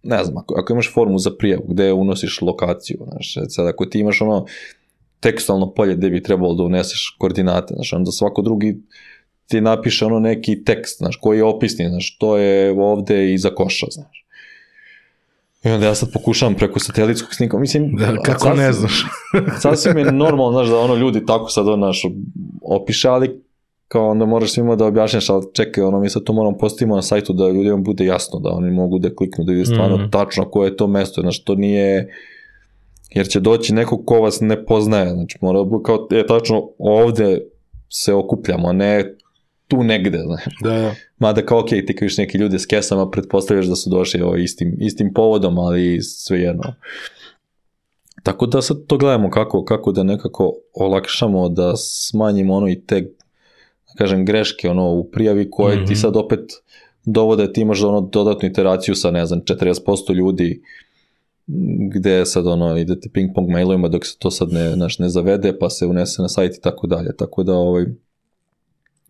ne znam, ako, ako imaš formu za prijavu, gde unosiš lokaciju, znaš, sad ako ti imaš ono tekstualno polje gde bi trebalo da uneseš koordinate, znaš, onda svako drugi ti napiše ono neki tekst, znaš, koji je opisni, znaš, to je ovde iza koša, znaš. I onda ja sad pokušavam preko satelitskog snimka, mislim... Da, kako sasvim, ne znaš? Sasvim je normalno, znaš, da ono ljudi tako sad ono, znaš, opiše, ali kao onda moraš svima da objašnjaš, ali čekaj, ono, mi sad to moramo postavimo na sajtu da ljudima bude jasno, da oni mogu da kliknu, da vide stvarno mm. tačno koje je to mesto, znaš, to nije... jer će doći neko ko vas ne poznaje, znači mora biti kao, je tačno ovde se okupljamo, ne tu negde, znači. Da, da. Mada kao, ok, ti kao neki ljudi s kesama, pretpostavljaš da su došli ovo, istim, istim povodom, ali svejedno. Tako da sad to gledamo kako, kako da nekako olakšamo, da smanjimo ono i te, da kažem, greške ono, u prijavi koje mm-hmm. ti sad opet dovode, ti imaš ono dodatnu iteraciju sa, ne znam, četrdeset posto ljudi, gde sad ono, idete ping pong mailovima dok se to sad ne, naš, ne zavede, pa se unese na sajt i tako dalje. Tako da, ovaj,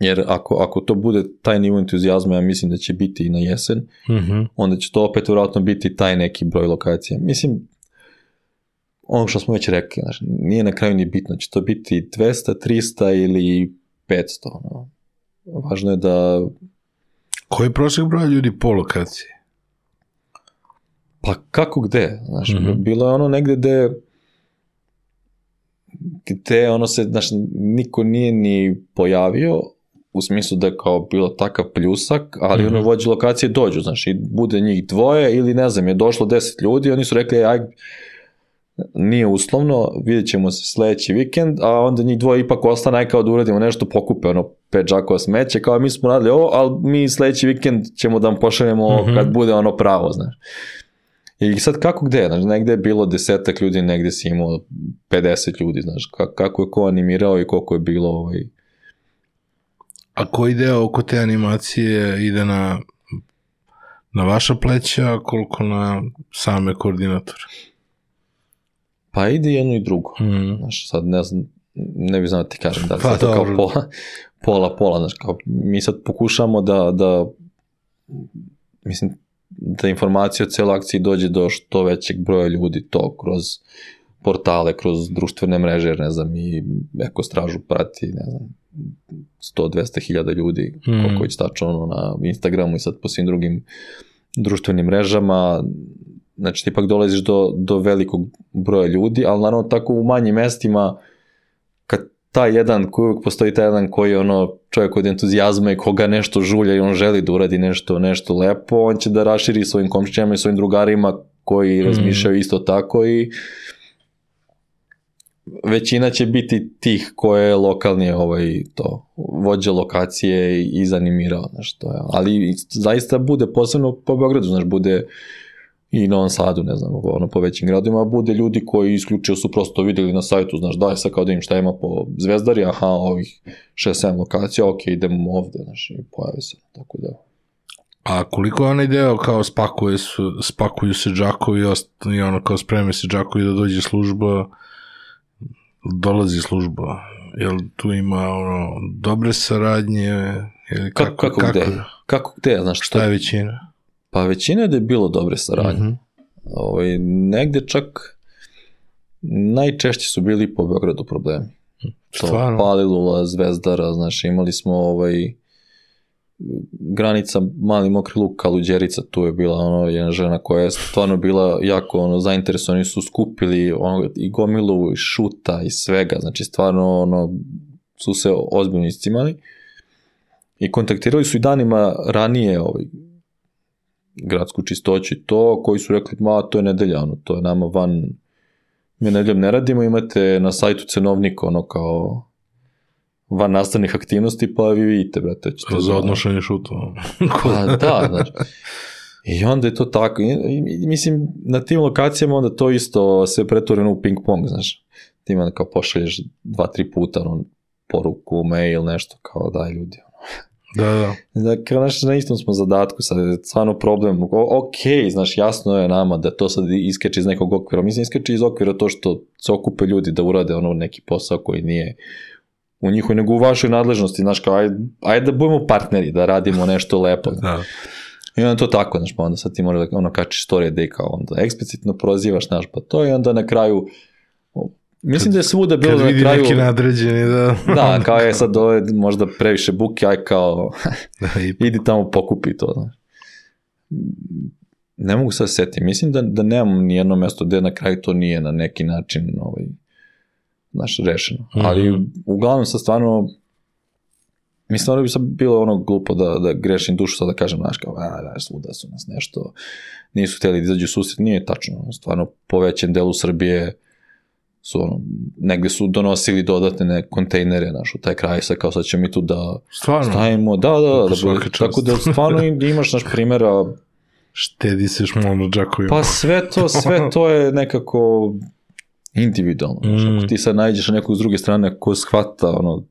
jer ako, ako to bude taj nivo entuzijazma, ja mislim da će biti i na jesen, Mm-hmm. onda će to opet vjerojatno biti taj neki broj lokacija. Mislim, ono što smo već rekli, znači, nije na kraju ni bitno, će to biti dvesta, trista ili petsto. No. Važno je da... Koji je prosjek broja ljudi po lokaciji? Pa kako gde? Znači, Mm-hmm. bilo je ono negde gde gde ono se, znači, niko nije ni pojavio, u smislu da je kao bilo takav pljusak, ali Mhm. ono vođe lokacije dođu, znači, i bude njih dvoje ili ne znam, je došlo deset ljudi, oni su rekli, aj, nije uslovno, vidjet ćemo se sledeći vikend, a onda njih dvoje ipak ostane, aj kao da uradimo nešto, pokupe ono pet džakova smeće, kao mi smo radili ovo, ali mi sledeći vikend ćemo da vam pošaljemo Mhm. kad bude ono pravo, znaš. I sad kako gde, znači, negde je bilo desetak ljudi, negde si imao pedeset ljudi, znaš, ka- kako je ko animirao i koliko je bilo ovaj... A koji deo oko te animacije ide na, na vaša pleća, a koliko na same koordinatore? Pa ide jedno i drugo. Mm. Znaš, sad ne znam, ne bih znao da ti kažem da li Pa sad to kao dobro. pola, pola, pola, znaš, kao mi sad pokušamo da, da mislim, da informacija o cijeloj akciji dođe do što većeg broja ljudi, to kroz portale, kroz društvene mreže, jer ne znam, i Eko stražu prati, ne znam, sto do dvesta hiljada ljudi, Mm. koliko već tačno ono, na Instagramu i sad po svim drugim društvenim mrežama, znači ti ipak dolaziš do, do velikog broja ljudi, ali naravno tako u manjim mestima, kad taj jedan, koji uvijek postoji taj jedan koji je ono čovjek od entuzijazma i koga nešto žulja i on želi da uradi nešto, nešto lepo, on će da raširi svojim komšćama i svojim drugarima koji Mm. razmišljaju isto tako i većina će biti tih koje je lokalni ovaj, to, vođa lokacije i izanimirao, znaš, to je. Ali zaista bude, posebno po Beogradu, znaš, bude i Novom Sadu, ne znam, ono po većim gradima, bude ljudi koji isključivo su prosto vidjeli na sajtu, znaš, daj sad kao da im šta ima po Zvezdari, aha, ovih šest sedam lokacija, ok, idemo ovde, znaš, i pojave se, tako da. A koliko je onaj deo kao spakuje su, spakuju se džakovi i, ost, i ono kao spreme se džakovi da dođe služba, dolazi služba, jel tu ima ono dobre saradnje ili Kako, kako, kako, gde? Kako gde, znaš, što? šta je većina? Pa većina je da je bilo dobre saradnje. Mhm. Ovaj, negde čak najčešće su bili po Beogradu problemi. To Stvarno? Palilula, Zvezdara, znaš, imali smo ovaj, granica Mali Mokri Luk, Kaluđerica, tu je bila ono, jedna žena koja je stvarno bila jako ono, zainteresovani, su skupili ono, i gomilu, i šuta, i svega, znači stvarno ono, su se ozbiljno iscimali i kontaktirali su i danima ranije ovaj, gradsku čistoću i to, koji su rekli, ma to je nedelja, ono, to je nama van, mi nedeljom ne radimo, imate na sajtu cenovnika, ono kao van nastavnih aktivnosti, pa vi vidite, brate. ćete Za da- odnošenje šutova. Pa da, znači. I onda je to tako. I, i, mislim, na tim lokacijama onda to isto se pretvoreno u ping pong, znaš. Ti onda kao pošalješ dva, tri puta ono, poruku, mail, nešto kao daj ljudi. Da, da. Dakle, znaš, na istom smo zadatku, sad je stvarno problem. O, ok, znaš, jasno je nama da to sad iskeče iz nekog okvira. Mislim, iskeče iz okvira to što se okupe ljudi da urade ono neki posao koji nije u njihovoj, nego u vašoj nadležnosti, znaš, kao, ajde, ajde da budemo partneri, da radimo nešto lepo. Da. I onda to tako, znaš, pa onda sad ti možeš da ono kačiš storije da i kao onda eksplicitno prozivaš, znaš, pa to i onda na kraju, mislim da je svuda bilo Kad da na vidi kraju, neki nadređeni, da. da, kao je sad ovo je možda previše buke, aj kao, Da, i idi tamo pokupi to, znaš. Ne mogu sad setiti, mislim da, da nemam ni jedno mesto gde na kraju to nije na neki način, ovaj, znaš, rešeno. Mhm. Ali uglavnom sad stvarno, mislim da bi sad bilo ono glupo da, da grešim dušu sad da kažem, znaš, kao, a, da, svuda su nas nešto, nisu htjeli da izađu susret, nije tačno, stvarno po većem delu Srbije su ono, negdje su donosili dodatne ne, kontejnere, znaš, u taj kraj sa kao sad ćemo mi tu da Stvarno? stavimo, da, da, da, da, da tako da stvarno imaš naš primjera. Štedi se šmolno džakovima. Pa sve to, sve to je nekako individualno, znaš, mm. ako ti sad nađeš nekog s druge strane ko shvata, ono,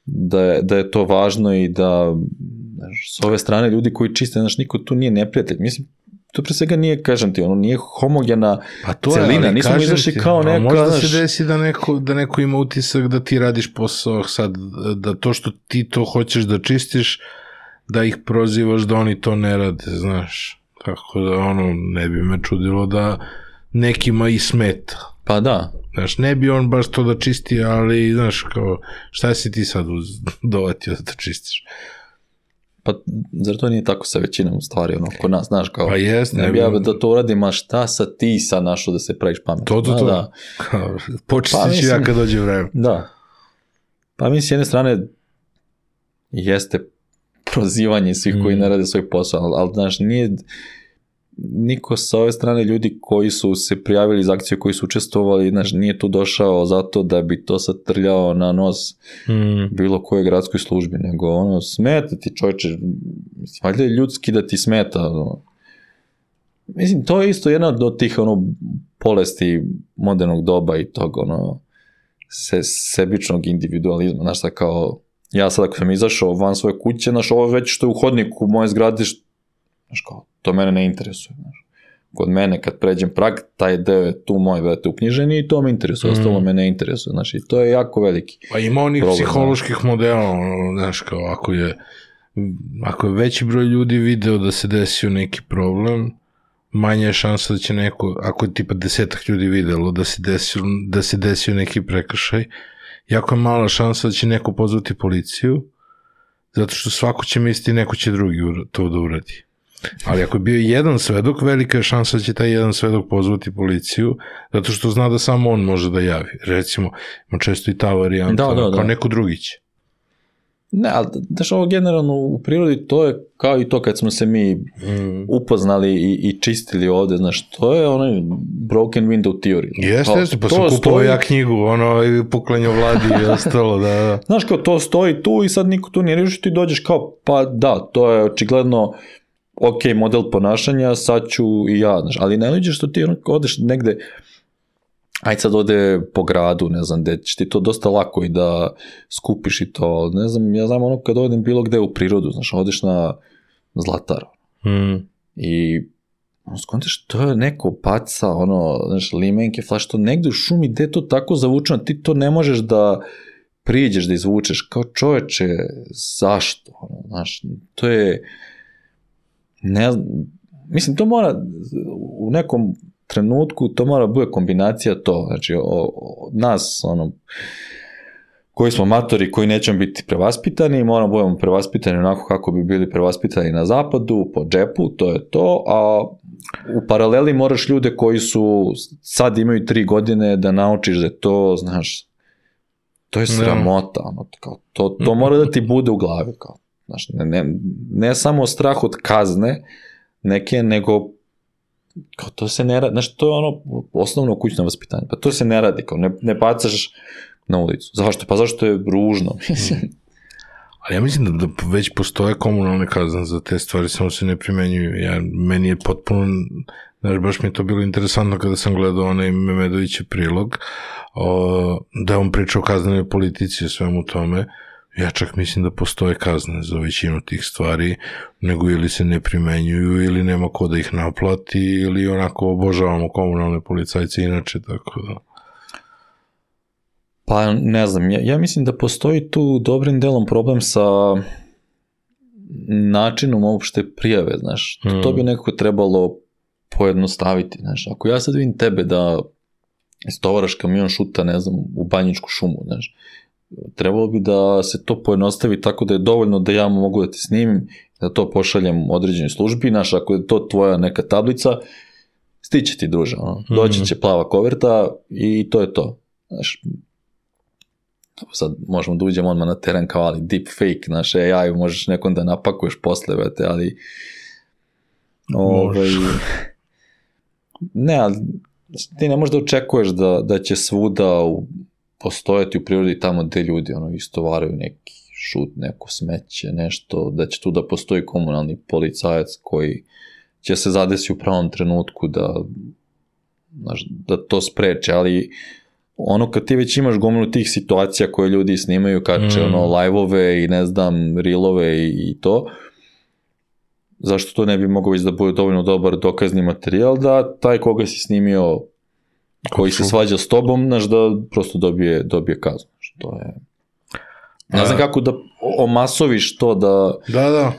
da je, da je to važno i da, znaš, s ove strane ljudi koji čiste, znaš, niko tu nije neprijatelj, mislim, to pre svega nije, kažem ti, ono nije homogena pa to celina, je, nismo izašli kao neka, možda znaš, se desi da neko, da neko ima utisak da ti radiš posao sad, da to što ti to hoćeš da čistiš, da ih prozivaš da oni to ne rade, znaš, tako da ono, ne bi me čudilo da nekima i smeta. Pa da. Znaš, ne bi on baš to da čisti, ali, znaš, kao, šta si ti sad dovatio da to čistiš? Pa, zar to nije tako sa većinom stvari, ono, kod nas, znaš, kao, pa jest, ne bi ja da to uradim, a šta sa ti sad našo da se praviš pametno? To, to, to. Da. Počistit pa, ću ja kad dođe vreme. Da. Pa mi s jedne strane jeste prozivanje svih mm. koji ne rade svoj posao, ali, ali znaš, nije niko sa ove strane ljudi koji su se prijavili za akciju, koji su učestvovali, znaš, nije tu došao zato da bi to sad trljao na nos mm. bilo koje gradskoj službi, nego ono, smeta ti čovječe, mislim, valjda je ljudski da ti smeta, ono. Mislim, to je isto jedna od tih, ono, bolesti modernog doba i tog, ono, se, sebičnog individualizma, znaš, sad kao, ja sad ako sam izašao van svoje kuće, znaš, ovo već što je u hodniku u moje zgrade, znaš, kao, to mene ne interesuje, znaš. Kod mene, kad pređem prag, taj deo je tu moj, brate, uknjiženi i to me interesuje, mm. ostalo me ne interesuje, znaš, i to je jako veliki. Pa ima onih problem, psiholoških znaš. modela, znaš, kao, ako je, ako je veći broj ljudi video da se desio neki problem, manja je šansa da će neko, ako je tipa desetak ljudi videlo da se desio, da se desio neki prekršaj, jako je mala šansa da će neko pozvati policiju, zato što svako će misliti neko će drugi to da uradi. Ali ako je bio jedan svedok, velika je šansa da će taj jedan svedok pozvati policiju, zato što zna da samo on može da javi. Recimo, ima često i ta varijanta, da, da, kao da. neko drugi će. Ne, ali daš ovo generalno u prirodi, to je kao i to kad smo se mi mm. upoznali i, i čistili ovde, znaš, to je onaj broken window theory. Jeste, jeste, pa sam kupovao stoji... ja knjigu, ono, puklenje vladi i ostalo, da, da. Znaš, kao to stoji tu i sad niko tu nije rešio, ti dođeš kao, pa da, to je očigledno ok, model ponašanja, sad ću i ja, znaš, ali ne liđeš što ti odeš negde, ajde sad ode po gradu, ne znam, gde će ti to dosta lako i da skupiš i to, ne znam, ja znam ono kad odem bilo gde u prirodu, znaš, odeš na Zlatar mm. i ono, skontaš, to je neko paca, ono, znaš, limenke, flaš, to negde u šumi, gde je to tako zavučeno, ti to ne možeš da priđeš, da izvučeš, kao čoveče, zašto, ono, znaš, to je, ne znam, mislim, to mora u nekom trenutku, to mora bude kombinacija to, znači, od nas, ono, koji smo matori, koji nećemo biti prevaspitani, moramo budemo prevaspitani onako kako bi bili prevaspitani na zapadu, po džepu, to je to, a u paraleli moraš ljude koji su, sad imaju tri godine da naučiš da to, znaš, to je sramota, ono, kao, to, to mora da ti bude u glavi, kao, znaš, ne, ne, ne samo strah od kazne neke, nego kao to se ne radi, znaš, to je ono osnovno kućno vaspitanje, pa to se ne radi, kao ne, ne bacaš na ulicu. Zašto? Pa zašto je ružno, mislim. Ali ja mislim da, da već postoje komunalne kazne za te stvari, samo se ne primenjuju. Ja, meni je potpuno, znaš, baš mi je to bilo interesantno kada sam gledao onaj Memedovićev prilog, o, da je on pričao o kaznenoj politici o svemu tome. Ja čak mislim da postoje kazne za većinu tih stvari, nego ili se ne primenjuju, ili nema ko da ih naplati, ili onako obožavamo komunalne policajce inače, tako da. Pa ne znam, ja, ja mislim da postoji tu dobrim delom problem sa načinom uopšte prijave, znaš, mm. to bi nekako trebalo pojednostaviti, znaš, ako ja sad vidim tebe da istovaraš kamion šuta, ne znam, u Banjičku šumu, znaš, trebalo bi da se to pojednostavi tako da je dovoljno da ja mogu da te snimim, da to pošaljem određenoj službi, znaš, ako je to tvoja neka tablica, stiće ti druže, ono, doći će plava koverta i to je to, znaš, sad možemo da uđemo odmah na teren kao, ali deepfake, znaš, A I možeš nekom da napakuješ posle, vete, ali ovaj, ne, ali ti ne možeš da očekuješ da, da će svuda u, postojati u prirodi tamo gde ljudi ono, istovaraju neki šut, neko smeće, nešto, da će tu da postoji komunalni policajac koji će se zadesi u pravom trenutku da, znaš, da to spreče, ali ono kad ti već imaš gomilu tih situacija koje ljudi snimaju, kače mm. ono live-ove i ne znam, reelove i, i to, zašto to ne bi mogao već da bude dovoljno dobar dokazni materijal, da taj koga si snimio, koji se svađa s tobom, znaš, da prosto dobije, dobije kaznu. To je... Ne znam kako da omasoviš to da... Da, da.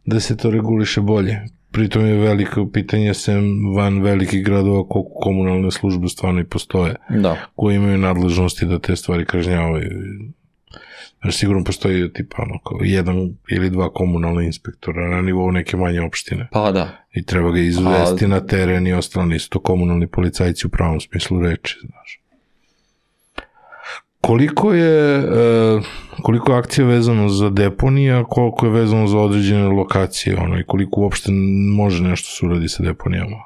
Da se to reguliše bolje. Pritom je veliko pitanje sem van velikih gradova koliko komunalne službe stvarno i postoje. Da. Koji imaju nadležnosti da te stvari kažnjavaju. Znaš, sigurno postoji tipa ono, kao jedan ili dva komunalna inspektora na nivou neke manje opštine. Pa da. I treba ga izvesti A... na teren i ostalo nisu to komunalni policajci u pravom smislu reči, znaš. Koliko je, uh, koliko je akcija vezano za deponija, koliko je vezano za određene lokacije, ono, i koliko uopšte može nešto se uradi sa deponijama?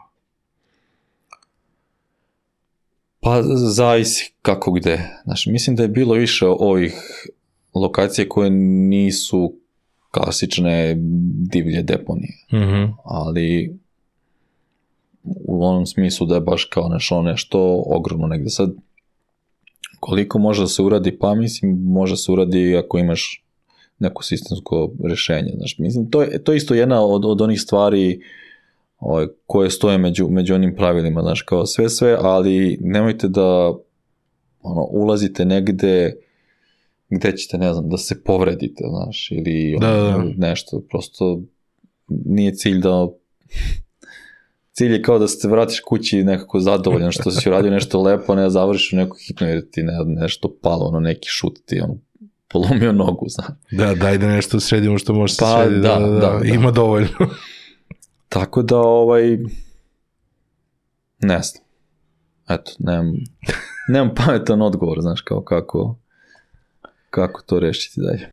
Pa zavisi kako gde. Znaš, mislim da je bilo više ovih lokacije koje nisu klasične divlje deponije. Mm-hmm. Ali u onom smislu da je baš kao nešto, nešto ogromno negde. Sad, koliko može da se uradi? Pa mislim, može se uradi ako imaš neko sistemsko rešenje. Znaš, mislim, to je, to je isto jedna od, od onih stvari ovaj, koje stoje među, među onim pravilima, znaš, kao sve sve, ali nemojte da ono, ulazite negde gde ćete, ne znam, da se povredite, znaš, ili ono, da, da. nešto, prosto nije cilj da cilj je kao da se vratiš kući nekako zadovoljan što si uradio nešto lepo, ne završiš u neku hitnu jer ti ne, nešto palo, ono neki šut ti ono, polomio nogu, znaš. Da, daj da nešto sredimo što može se pa, srediti, da, da, da, da, ima dovoljno. Tako da, ovaj, ne znam, eto, nemam, nemam pametan odgovor, znaš, kao kako, kako to rešiti dalje.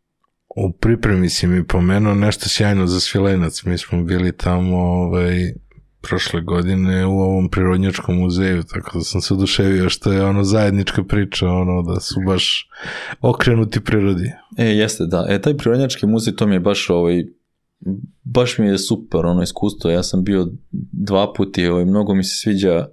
U pripremi si mi pomenuo nešto sjajno za Svilenac, mi smo bili tamo, ovaj, prošle godine u ovom prirodnjačkom muzeju, tako da sam se oduševio što je ono zajednička priča, ono da su baš okrenuti prirodi. E, jeste, da. E, taj prirodnjački muzej, to mi je baš ovaj, baš mi je super ono iskustvo. Ja sam bio dva puta i ovaj, mnogo mi se sviđa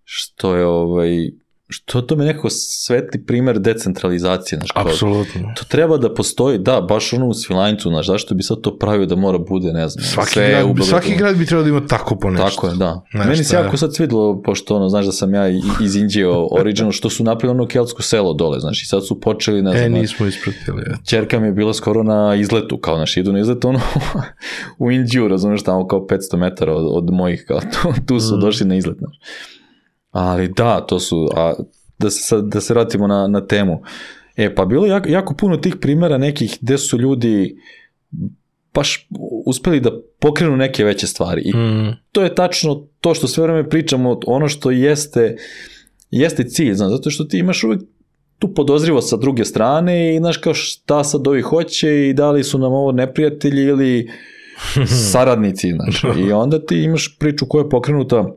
što je ovaj, što to mi je nekako svetli primer decentralizacije. Znaš, kao, apsolutno. To treba da postoji, da, baš ono u Svilajncu, znaš, zašto bi sad to pravio da mora bude, ne znam. Svaki, sve grad, svaki grad bi trebao da ima tako po nešto. Tako je, da. Nešto, meni se jako sad svidilo, pošto ono, znaš da sam ja iz Indije original, što su napravili ono keltsko selo dole, znaš, i sad su počeli, ne znam. E, nismo ispratili. Ćerka mi je bila skoro na izletu, kao naš, idu na izletu, ono, u Indiju, razumiješ, tamo kao petsto metara od, od mojih, kao tu, tu su mm. došli na izlet, znaš. Ali da, to su, a da se, da se vratimo na, na temu. E, pa bilo jako, jako puno tih primjera nekih gde su ljudi baš uspeli da pokrenu neke veće stvari. I mm. to je tačno to što sve vreme pričamo, ono što jeste, jeste cilj, znaš, zato što ti imaš uvijek tu podozrivo sa druge strane i znaš kao šta sad ovi hoće i da li su nam ovo neprijatelji ili saradnici, znaš. I onda ti imaš priču koja je pokrenuta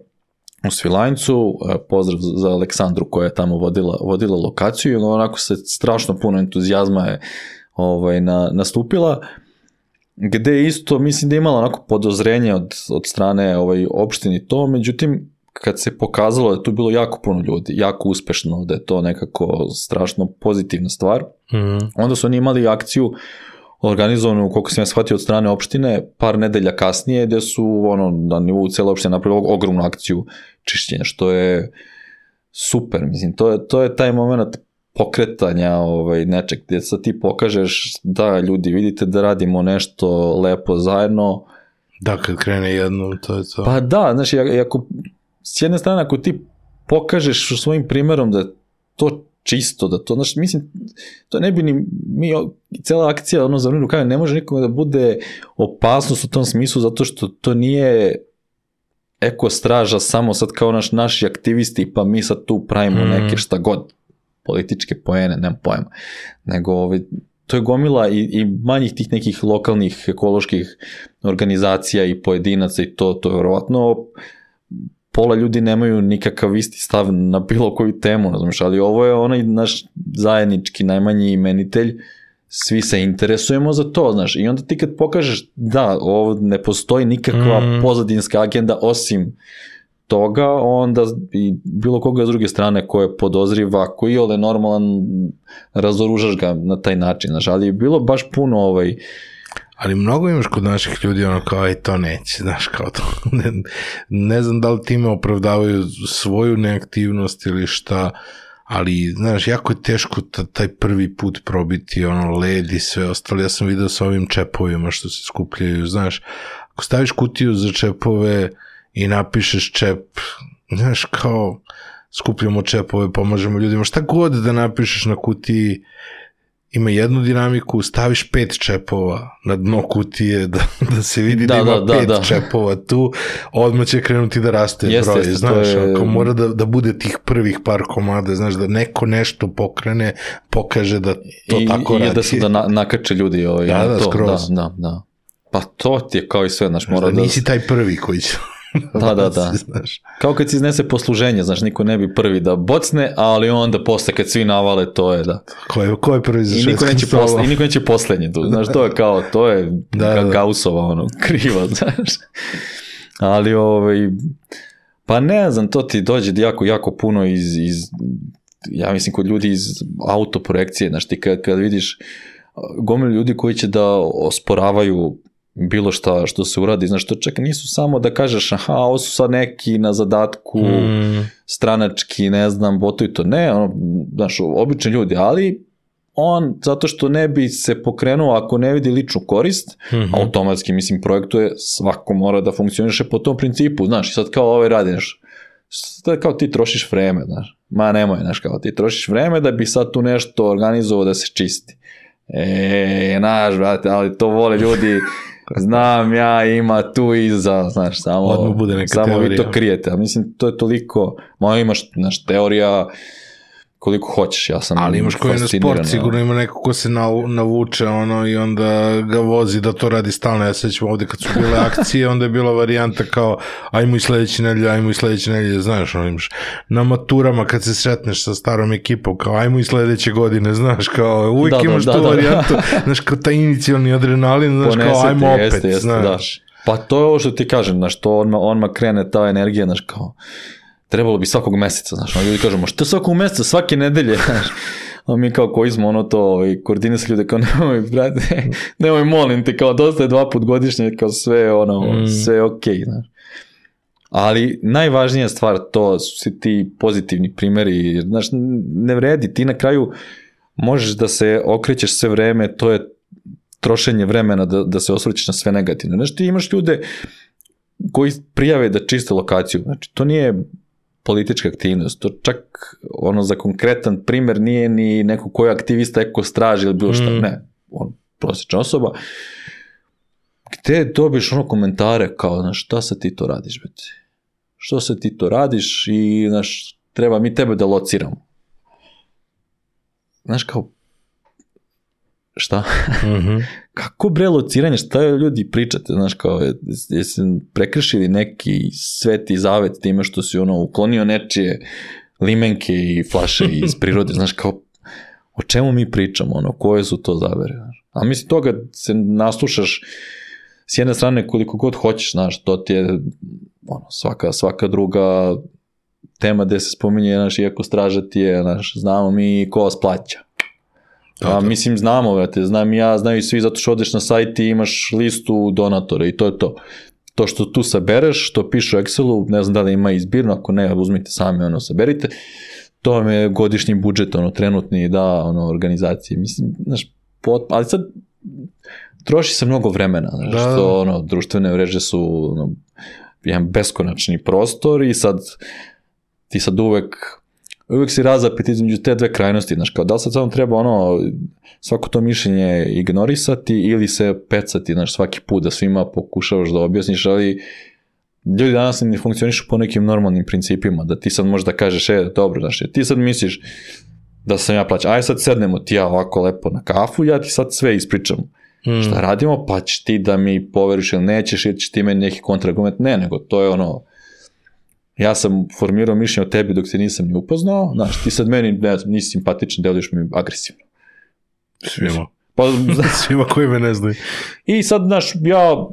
u Svilajncu, pozdrav za Aleksandru koja je tamo vodila, vodila lokaciju i onako se strašno puno entuzijazma je ovaj, na, nastupila, gde isto mislim da je imala onako podozrenje od, od strane ovaj, opštini to, međutim kad se pokazalo da je tu bilo jako puno ljudi, jako uspešno, da je to nekako strašno pozitivna stvar, mm. onda su oni imali akciju organizovanu, koliko sam ja shvatio, od strane opštine, par nedelja kasnije, gde su ono, na nivou cele opštine napravili ogromnu akciju čišćenja, što je super, mislim, to je, to je taj moment pokretanja ovaj, nečeg, gde sad ti pokažeš da ljudi, vidite da radimo nešto lepo zajedno. Da, kad krene jednom, to je to. Pa da, znači, ako, s jedne strane, ako ti pokažeš svojim primjerom da to čisto, da to, znači, mislim, to ne bi ni, mi, cela akcija, ono, za vremenu, ne može nikome da bude opasnost u tom smislu, zato što to nije ekostraža samo sad kao naš, naši aktivisti, pa mi sad tu pravimo mm. neke šta god, političke poene, nemam pojma, nego ovaj, to je gomila i, i manjih tih nekih lokalnih ekoloških organizacija i pojedinaca i to, to je vjerovatno pola ljudi nemaju nikakav isti stav na bilo koju temu, znaš, ali ovo je onaj naš zajednički najmanji imenitelj, svi se interesujemo za to, znaš, i onda ti kad pokažeš da ovo ne postoji nikakva mm. pozadinska agenda osim toga, onda i bilo koga s druge strane ko je podozriva, ko je ole normalan, razoružaš ga na taj način, znaš, ali je bilo baš puno ovaj... Ali mnogo imaš kod naših ljudi ono kao, aj to neće, znaš, kao to, ne, ne znam da li time opravdavaju svoju neaktivnost ili šta, ali, znaš, jako je teško taj prvi put probiti ono led i sve ostalo. Ja sam vidio sa ovim čepovima što se skupljaju, znaš, ako staviš kutiju za čepove i napišeš čep, znaš, kao skupljamo čepove, pomažemo ljudima, šta god da napišeš na kutiji, ima jednu dinamiku, staviš pet čepova na dno kutije, da, da se vidi da, da ima da, pet da, da. čepova tu, odmah će krenuti da raste jeste, broj, jeste, znaš, je... ako mora da, da bude tih prvih par komada, znaš, da neko nešto pokrene, pokaže da to I, tako i radi. I da se da na, nakače ljudi ovaj, da, da, to, skroz. Da, da, da. Pa to ti je kao i sve, znaš, mora da... Nisi taj prvi koji će... Da, da, da. Kao kad se iznese posluženje, znaš, niko ne bi prvi da bocne, ali onda posle kad svi navale, to je da. Ko je, ko je prvi za šestom stolom? I niko neće poslednje tu, znaš, to je kao, to je da, da. Gaussova, ono, kriva, znaš. Ali, ovaj, pa ne znam, to ti dođe jako, jako puno iz, iz ja mislim, kod ljudi iz autoprojekcije, znaš, ti kad, kad vidiš gomilu ljudi koji će da osporavaju bilo šta što se uradi, znaš, to čak nisu samo da kažeš, aha, ovo su sad neki na zadatku, mm. stranački, ne znam, botuju to, ne, ono, znaš, obični ljudi, ali on, zato što ne bi se pokrenuo ako ne vidi ličnu korist, mm-hmm. automatski, mislim, projektuje, svako mora da funkcioniše po tom principu, znaš, i sad kao ovaj radiš, sad kao ti trošiš vreme, znaš, ma nemoj, znaš, kao ti trošiš vreme da bi sad tu nešto organizovao da se čisti. E, znaš, brate, ali to vole ljudi, znam ja, ima tu iza, znaš, samo, samo vi to krijete, a mislim, to je toliko, moja imaš, znaš, teorija, koliko hoćeš, ja sam ali imaš koji je na sport, sigurno ima neko ko se navuče ono i onda ga vozi da to radi stalno. Ja sećam ovde kad su bile akcije, onda je bila varijanta kao ajmo i sledeće nedelje, ajmo i sledeće nedelje, znaš, ono imaš na maturama kad se sretneš sa starom ekipom, kao ajmo i sledeće godine, znaš, kao uvijek da, imaš da, tu da, varijantu, da. Znaš, kao taj inicijalni adrenalin, znaš, ponesete, kao ajmo opet, jeste, jeste, znaš. Da. Pa to je ovo što ti kažem, znaš, to odmah, odmah krene ta energija, znaš, kao trebalo bi svakog meseca, znaš, ono ljudi kažemo, što svakog meseca, svake nedelje, znaš, a mi kao koji smo ono to i koordinirali ljude, kao nemoj, brate, nemoj, molim te, kao dosta je dva put godišnje, kao sve ono, mm. sve okej, okay, znaš. Ali najvažnija stvar to su si ti pozitivni primjeri, znaš, ne vredi, ti na kraju možeš da se okrećeš sve vreme, to je trošenje vremena da, da se osvrćeš na sve negativno. Znaš, ti imaš ljude koji prijave da čiste lokaciju, znači, to nije politička aktivnost, to čak ono za konkretan primjer nije ni neko koji je aktivista eko straži ili bilo šta, mm. ne, on prosječna osoba, gde dobiš ono komentare kao, znaš, šta se ti to radiš, beti? Što se ti to radiš i, znaš, treba mi tebe da lociramo. Znaš, kao, šta? Mm-hmm. Kako bre lociranje, šta je ljudi pričate, znaš, kao, jesi prekršili neki sveti zavet time što si ono uklonio nečije limenke i flaše iz prirode, znaš, kao, o čemu mi pričamo, ono, koje su to zavere, znaš. A mislim, toga se naslušaš s jedne strane koliko god hoćeš, znaš, to ti je ono, svaka, svaka druga tema gde se spominje, znaš, iako straža ti je, znaš, znamo mi ko vas plaća. A mislim, znamo, vrate, znam ja, znaju svi zato što odeš na sajt i imaš listu donatora i to je to. To što tu sabereš, što piše u Excelu, ne znam da li ima izbirno, ako ne, uzmite sami, ono, saberite, to vam je godišnji budžet, ono, trenutni, da, ono, organizacije, mislim, znaš, pot, ali sad troši se mnogo vremena, znaš, da. Što, ono, društvene mreže su, ono, jedan beskonačni prostor i sad, ti sad uvek, uvijek si razapet između te dve krajnosti, znaš, kao da li sad samo treba ono, svako to mišljenje ignorisati ili se pecati, znaš, svaki put da svima pokušavaš da objasniš, ali ljudi danas ne funkcionišu po nekim normalnim principima, da ti sad možeš da kažeš, e, dobro, znaš, ti sad misliš da sam ja plaćan, aj sad sednemo ti ja ovako lepo na kafu, ja ti sad sve ispričam. Hmm. Šta radimo, pa ćeš ti da mi poveriš ili nećeš, ili ćeš ti meni neki kontraargument, ne, nego to je ono, ja sam formirao mišljenje o tebi dok se nisam ni upoznao, znaš, ti sad meni ne, nisi simpatičan, deluješ mi agresivno. Svima. Pa, Svima koji me ne znaju. I sad, znaš, ja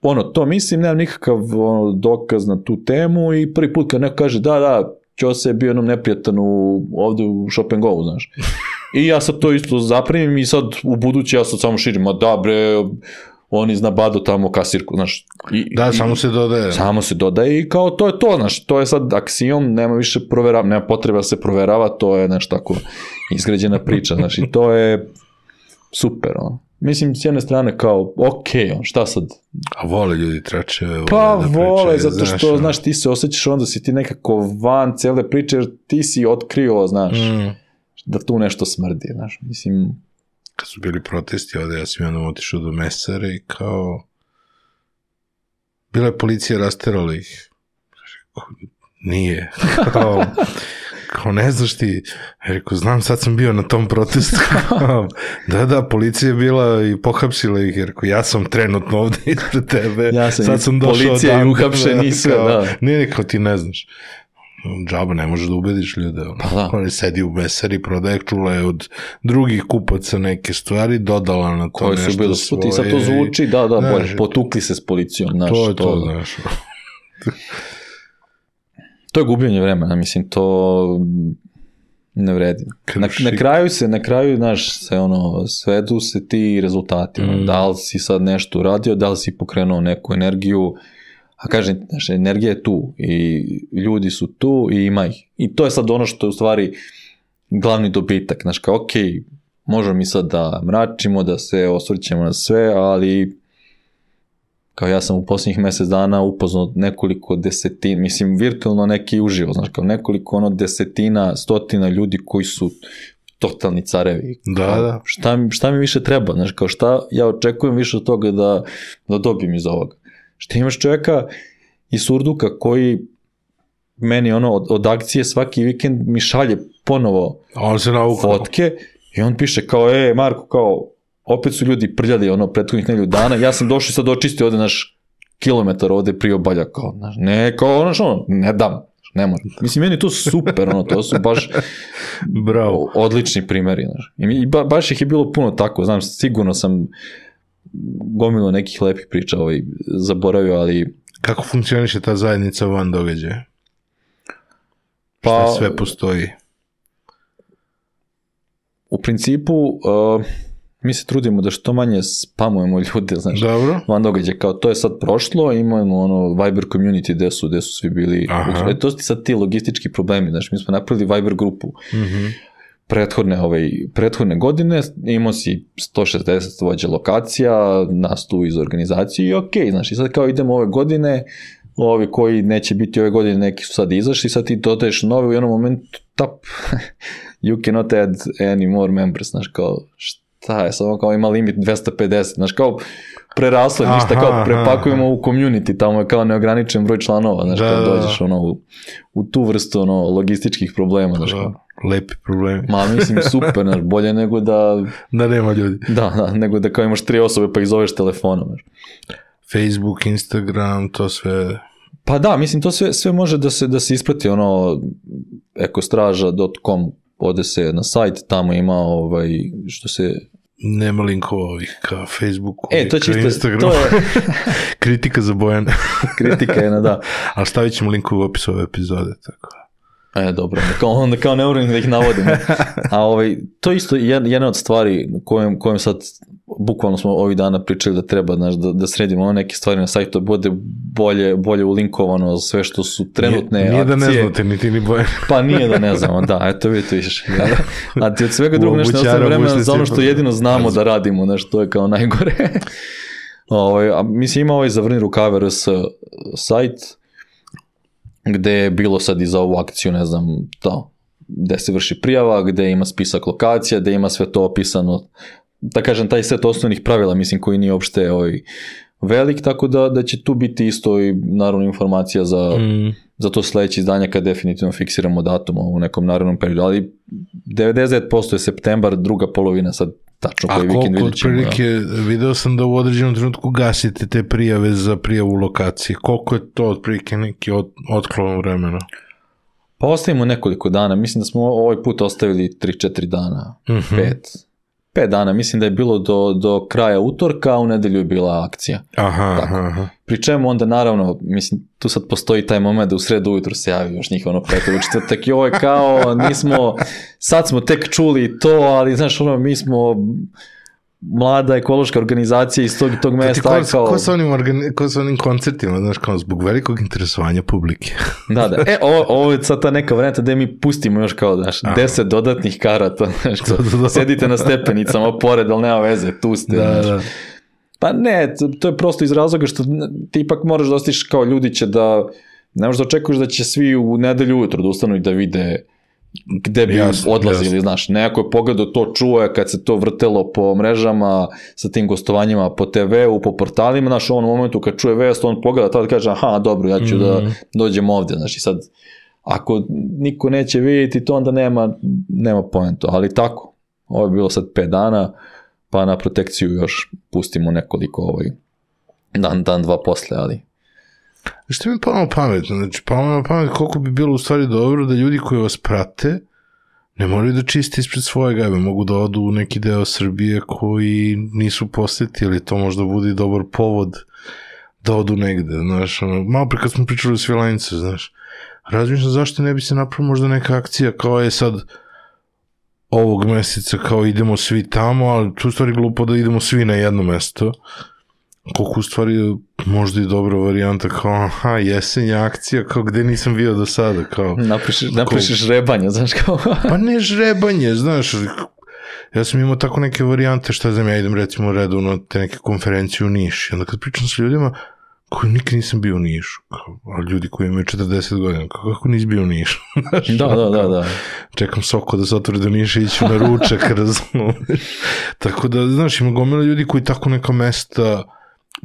ono, to mislim, nemam nikakav ono, dokaz na tu temu i prvi put kad neko kaže da, da, Ćose je bio jednom neprijatan u, ovde u Shop and Go, znaš. I ja sad to isto zaprimim i sad u budući ja sad samo širim, ma da bre, on iz Nabado tamo kasirku, znaš. I, Da, i, samo se dodaje. Samo se dodaje i kao to je to, znaš, to je sad aksijom, nema više proverava, nema potreba da se proverava, to je nešto tako izgrađena priča, znaš, i to je super, ono. Mislim, s jedne strane kao, ok, on, šta sad? A vole ljudi tračeve. Pa da vole, pričaju, zato što, znaš, znaš, ti se osjećaš onda si ti nekako van cele priče, jer ti si otkrio, znaš, Mm. da tu nešto smrdi, znaš, mislim... Kad su bili protesti ovde, ja sam jednom otišao do mesare i kao... Bila je policija, rasterala ih. Nije. Kao, kao ne znaš ti. Ja rekao, znam, sad sam bio na tom protestu. Da, da, policija je bila i pohapsila ih. Ja rekao, ja sam trenutno ovde ispred tebe. Ja sam sad sam došao policija i uhapšen i sve, da. Nije, kao ti ne znaš. Džaba, ne možeš da ubediš ljude. Ono. Pa da. Oni sedi u mesari, prodaje, čula je od drugih kupaca neke stvari, dodala na to Koji nešto su bili svoje. i sad to zvuči, da, da, Znaš, bolje, potukli se s policijom, znaš, to je to, to, znaš. to je gubljenje vremena, mislim, to ne vredi. Na, Krši. na kraju se, na kraju, znaš, se ono, svedu se ti rezultati, ono, Mm. da li si sad nešto uradio, da li si pokrenuo neku energiju, a kažem, znaš, energija je tu i ljudi su tu i ima ih. I to je sad ono što je u stvari glavni dobitak, znaš, kao, ok, možemo mi sad da mračimo, da se osvrćemo na sve, ali kao ja sam u posljednjih mjesec dana upoznao nekoliko desetina, mislim, virtualno neki uživo, znaš, kao nekoliko ono desetina, stotina ljudi koji su totalni carevi. Da, Kao, da. Šta, mi- šta mi više treba, znaš, kao šta ja očekujem više od toga da, da dobijem iz ovoga. Šta imaš čovjeka iz Surduka koji meni ono od, od akcije svaki vikend mi šalje ponovo A on se naukao. fotke i on piše kao, e, Marko, kao, opet su ljudi prljali ono prethodnih nedelju dana, ja sam došao i sad očistio ovde naš kilometar ovde priobalja, kao, znaš, ne, kao, ono što, ne dam, ne moram. Mislim, meni je to super, ono, to su baš Bravo. odlični primjeri, znaš. I, mi- i ba, baš ih je bilo puno tako, znam, sigurno sam gomilo nekih lepih priča ovaj, zaboravio, ali Kako funkcioniše ta zajednica van događaja? pa Šta sve postoji? u principu uh, mi se trudimo da što manje spamujemo ljude, znaš. Dobro. Van događaja, kao to je sad prošlo, imamo ono Viber community gde su, gde su svi bili, Aha. e, to su ti sad ti logistički problemi, znaš, mi smo napravili Viber grupu Mhm. prethodne, ovaj, prethodne godine, imao si sto šezdeset vođa lokacija, nas tu iz organizacije i okej, znaš, i sad kao idemo ove godine, ovi koji neće biti ove godine, neki su sad izašli, sad ti dodaješ nove u jednom momentu, tap, you cannot add any more members, znaš, kao, šta je, samo kao ima limit dvesta pedeset, znaš, kao, preraslo je, ništa, Aha, kao, aha, prepakujemo u community, tamo je kao neograničen broj članova, znaš, Da, kao da, da. dođeš, ono, u, u tu vrstu, ono, logističkih problema, znaš, kao, Da, lepi problemi. ma, mislim, super, znaš, bolje nego da, Da nema ljudi. da, da, nego da kao imaš tri osobe pa ih zoveš telefonom, znaš. Facebook, Instagram, to sve... Pa da, mislim, to sve, sve može da se, da se isprati, ono, ekostraža dot com, ode se na sajt, tamo ima, ovaj, što se... Nema linkova ovih ka Facebooku, E, to će ka isto, Instagramu. to je Kritika za Bojana. kritika jedna, da. Ali stavit ćemo link u opisu ove epizode, tako. E, dobro, kao, onda kao ne moram da ih navodim. A ovaj, to isto je jedna od stvari kojem, kojem sad, bukvalno smo ovih dana pričali da treba, znaš, da, da sredimo ono neke stvari na sajtu, da bude bolje, bolje ulinkovano sve što su trenutne Nije, nije akcije. da ne znate, niti ni Bojan. Pa nije da ne znamo, da, eto vidite više. A ti od svega drugog nešto ne Obućara, ostaje vremena za ono bušnici, što jedino znamo da radimo, nešto to je kao najgore. Ovaj, a mislim ima ovaj Zavrni rukave R S sajt, gde je bilo sad i za ovu akciju, ne znam, to, gde se vrši prijava, gde ima spisak lokacija, gde ima sve to opisano, da kažem, taj set osnovnih pravila, mislim, koji nije uopšte ovaj, velik, tako da, da će tu biti isto i naravno informacija za, Mm. za to sledeće izdanje kad definitivno fiksiramo datum u nekom narednom periodu, ali devedeset devet posto je septembar, druga polovina sad tačno koji vikend vidjet ćemo. A koliko otprilike, video sam da u određenom trenutku gasite te prijave za prijavu lokacije. Koliko je to otprilike neki od, otklon vremena? Pa ostavimo nekoliko dana. Mislim da smo ovaj put ostavili tri četiri dana. Uh-huh. Pet. Pet dana. Mislim da je bilo do, do kraja utorka, a u nedelju je bila akcija. Aha, aha. Pri čemu onda naravno, mislim, tu sad postoji taj moment da u sredu ujutru se javi još njih ono peto u četvrtak i ovo je kao, nismo, sad smo tek čuli to, ali znaš ono, mi smo mlada ekološka organizacija iz tog, tog mesta. Ko, kao... ko, sa onim organi, ko sa onim koncertima, znaš, kao zbog velikog interesovanja publike. Da, da. E, ovo, ovo je sad ta neka varijanta gde mi pustimo još kao, znaš, deset dodatnih karata, znaš, kao, da, da, da. Sedite na stepenicama pored, ali nema veze, tu ste, da, znaš. Da. Pa ne, to je prosto iz razloga što ti ipak moraš da ostiš kao ljudi će da, ne možeš da očekuješ da će svi u nedelju ujutro da ustanu i da vide gde bi jasno, odlazili, jasno. Znaš, neko je pogledao to, čuje kad se to vrtelo po mrežama sa tim gostovanjima po te veu, po portalima, znaš, u onom momentu kad čuje vest, on pogleda tada kaže, aha, dobro, ja ću mm. da dođem ovde, znaš, i sad, ako niko neće vidjeti to, onda nema, nema poenta, ali tako, ovo je bilo sad pet dana, pa na protekciju još pustimo nekoliko ovaj, dan, dan, dva posle, ali... Što mi palo pametno, znači palo pamet koliko bi bilo u stvari dobro da ljudi koji vas prate ne moraju da čiste ispred svoje gajbe, mogu da odu u neki deo Srbije koji nisu posetili, to možda bude dobar povod da odu negde, znaš, ono, malo pre kad smo pričali o Svilajnicu, znaš, razmišljam zašto ne bi se napravila možda neka akcija kao je sad ovog meseca kao idemo svi tamo, ali tu u stvari glupo da idemo svi na jedno mesto, koliko u stvari možda i dobra varijanta kao aha, jesenja akcija kao gde nisam bio do sada kao napišeš, napišeš žrebanje, znaš kao pa ne žrebanje, znaš ja sam imao tako neke varijante, šta znam, ja idem recimo redovno te neke konferencije u Niš i onda kad pričam s ljudima koji nikad nisam bio u Nišu, a ljudi koji imaju četrdeset godina, kako nisi bio u Nišu? Znaš, da, da, da, da. Čekam Soko da se otvori do Niša i iću na ručak, razumiješ. Tako da, znaš, ima gomila ljudi koji tako neka mesta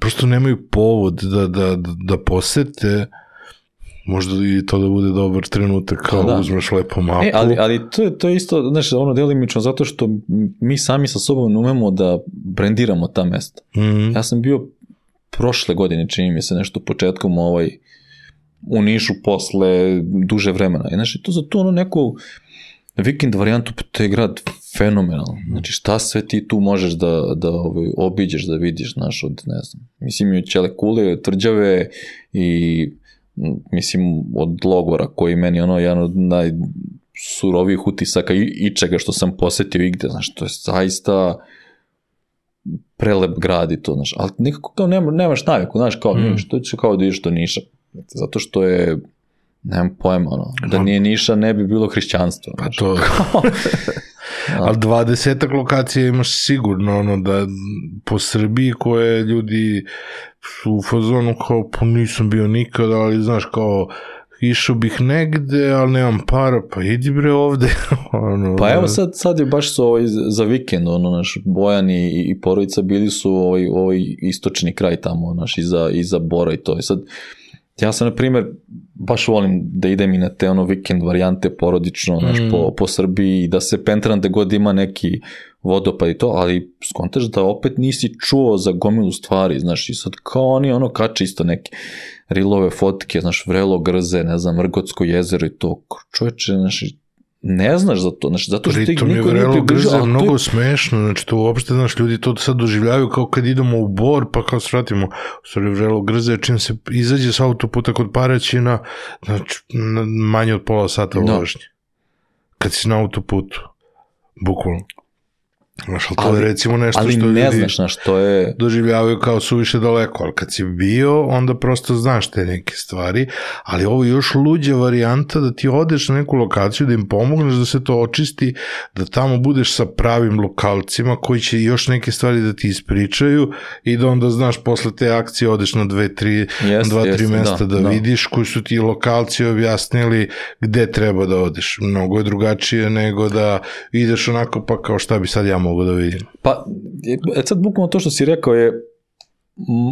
prosto nemaju povod da, da, da posete, možda i to da bude dobar trenutak kao da uzmeš lepo mapu. E, ali, ali to, je, to je isto, znaš, ono delimično zato što mi sami sa sobom umemo da brendiramo ta mesta. Mm-hmm. Ja sam bio prošle godine, čini mi se nešto početkom ovaj, u Nišu posle duže vremena. I znači, to za to ono neku vikend varijantu, to je grad fenomenalno. Znači, šta sve ti tu možeš da, da ovaj, obiđeš, da vidiš, znaš, od, ne znam, mislim, od Ćele kule, Tvrđave i, mislim, od logora, koji meni ono, jedan od najsurovijih utisaka i, i čega što sam posetio igde, znaš, to je zaista prelep grad i to, znaš, ali nekako kao nema, nemaš naviku, znaš, kao, mm. što će kao da ideš do Niša, zato što je, nemam pojma, ono, da nije Niša ne bi bilo hrišćanstvo. Pa to... Ali dvadesetak lokacija imaš sigurno, ono, da po Srbiji koje ljudi su u fazonu kao, pa nisam bio nikada, ali znaš, kao, išao bih negde, ali nemam para, pa idi bre ovde. ono, pa evo sad, sad je baš su ovaj, za vikend, ono, naš Bojan i, i porodica bili su ovaj, ovaj istočni kraj tamo, naš, iza, iza Bora i to. I sad, ja sam, na primjer, baš volim da idem i na te ono vikend varijante porodično, znaš, mm. po, po Srbiji, da se pentram da god ima neki vodopad i to, ali skontaš da opet nisi čuo za gomilu stvari, znaš, i sad kao oni ono kače isto neke rilove fotke, znaš, Vrelo Grze, ne znam, Vrgotsko jezero i to, čovječe, znaš, ne znaš za to, znači, zato što ti niko nije približao. Pritom je Vrelo Grze mnogo je... smešno, znači to uopšte, znaš, ljudi to sad doživljavaju kao kad idemo u Bor, pa kao svratimo, u stvari Vrelo Grze, čim se izađe s autoputa kod Paraćina, znači, manje od pola sata vožnje. Kad si na autoputu, bukvalno. Znaš, ali to ali, je recimo nešto što ljudi ne znaš, znaš, to je... doživljavaju kao suviše daleko, ali kad si bio, onda prosto znaš te neke stvari, ali ovo je još luđa varijanta da ti odeš na neku lokaciju, da im pomogneš da se to očisti, da tamo budeš sa pravim lokalcima koji će još neke stvari da ti ispričaju i da onda znaš posle te akcije odeš na dve, tri, yes, dva, yes, tri mesta da, da, da vidiš koji su ti lokalci objasnili gde treba da odeš. Mnogo je drugačije nego da ideš onako pa kao šta bi sad ja mogu da vidim. Pa, e sad bukvalno to što si rekao je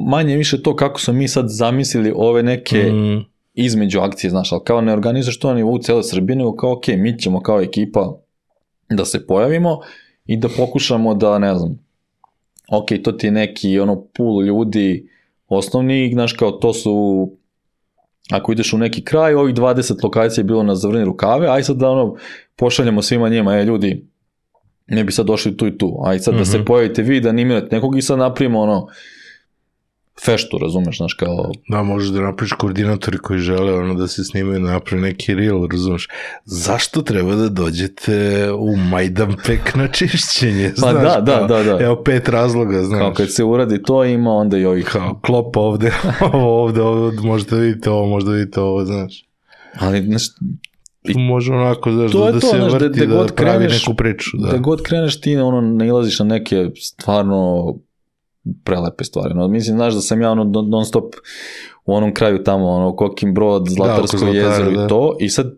manje više to kako smo mi sad zamislili ove neke mm. između akcije, znaš, ali kao ne organizuješ to na nivou cele Srbije, nego kao ok, mi ćemo kao ekipa da se pojavimo i da pokušamo da, ne znam, ok, to ti je neki ono pool ljudi osnovni, znaš kao to su, ako ideš u neki kraj, ovih dvadeset lokacija je bilo na zavrni rukave, aj sad da ono, pošaljemo svima njima, je ljudi, ne bi sad došli tu i tu, aj sad mm-hmm. da se pojavite vi, da animirate nekog i sad napravimo ono, feštu, razumeš, znaš, kao... Da, možeš da napraviš koordinatori koji žele ono da se snimaju, da napravi neki reel, razumeš. Zašto treba da dođete u Majdanpek na čišćenje, pa znaš? Da, da, da, da. Evo pet razloga, znaš. Kao kad se uradi to, ima onda i ovih... Kao klop ovde, ovo ovde, ovde, možda vidite ovo, možda vidite ovo, znaš. Ali, znaš... I može onako, znaš, to da, da to, se znaš, vrti, da, da, da da pravi kreneš, neku priču. Da. Da god kreneš ti, ono, nailaziš na neke stvarno prelepe stvari. No, mislim, znaš da sam ja ono non stop u onom kraju tamo, ono, Kokin Brod, Zlatarsko da, jezero da. I to. I sad,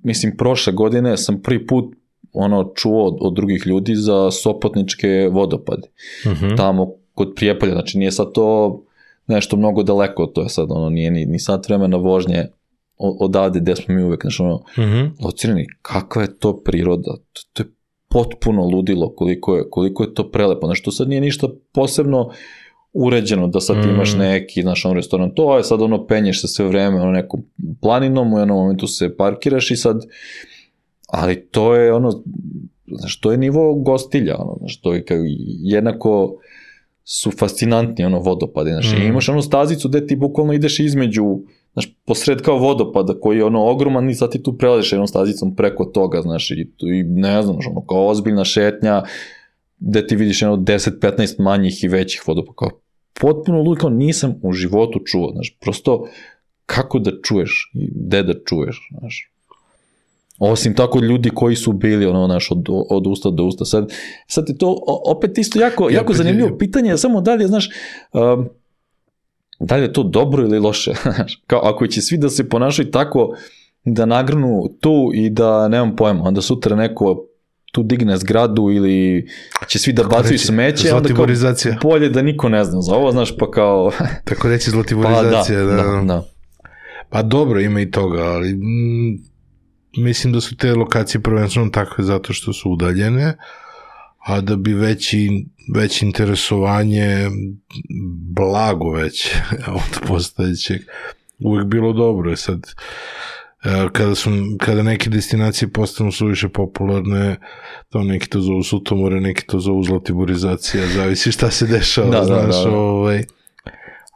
mislim, prošle godine sam prvi put ono, čuo od, od drugih ljudi za Sopotničke vodopade. Uh-huh. Tamo kod Prijepolja, znači nije sad to nešto mnogo daleko, to je sad, ono, nije ni, ni sat vremena vožnje odavde gde smo mi uvek, znači ono, uh-huh. locirani, kakva je to priroda, to, to je potpuno ludilo koliko je, koliko je to prelepo, znači to sad nije ništa posebno uređeno, da sad mm. imaš neki, znaš, on restoran, to je sad ono, penješ se sve vreme, ono, nekom planinom, u jednom momentu se parkiraš i sad, ali to je ono, znaš, to je nivo gostilja, ono, znaš, to je kao, jednako su fascinantni, ono, vodopade, znaš, mm. i imaš ono stazicu gde ti bukvalno ideš između, znaš, posred kao vodopada koji je ono ogroman i sad ti tu prelaziš jednom stazicom preko toga, znaš, i, i ne znam, ono, kao ozbiljna šetnja gde ti vidiš jedno deset petnaest manjih i većih vodopada, kao potpuno lud, kao nisam u životu čuo, znaš, prosto kako da čuješ i gde da čuješ, znaš. Osim tako ljudi koji su bili, ono, znaš, od, od usta do usta. Sad, sad je to opet isto jako, jako ja, zanimljivo je, pitanje, samo da li je, znaš, um, da li je to dobro ili loše, kao ako će svi da se ponašaju tako da nagrnu tu i da, nemam pojma, onda sutra neko tu digne zgradu ili će svi da bacaju smeće, onda kao bolje da niko ne zna za ovo, znaš, pa kao... Tako reći zlatiborizacija, pa, da, da, da, da. Pa dobro, ima i toga, ali mm, mislim da su te lokacije prvenstveno takve zato što su udaljene, a da bi veći, veće interesovanje, blago već od postojećeg, uvijek bilo dobro. Je sad, kada, su, kada neke destinacije postanu suviše popularne, to neki to zovu sutomore, neki to zovu zlatiborizacija, zavisi šta se dešava, da, znaš, da, da. Ovaj,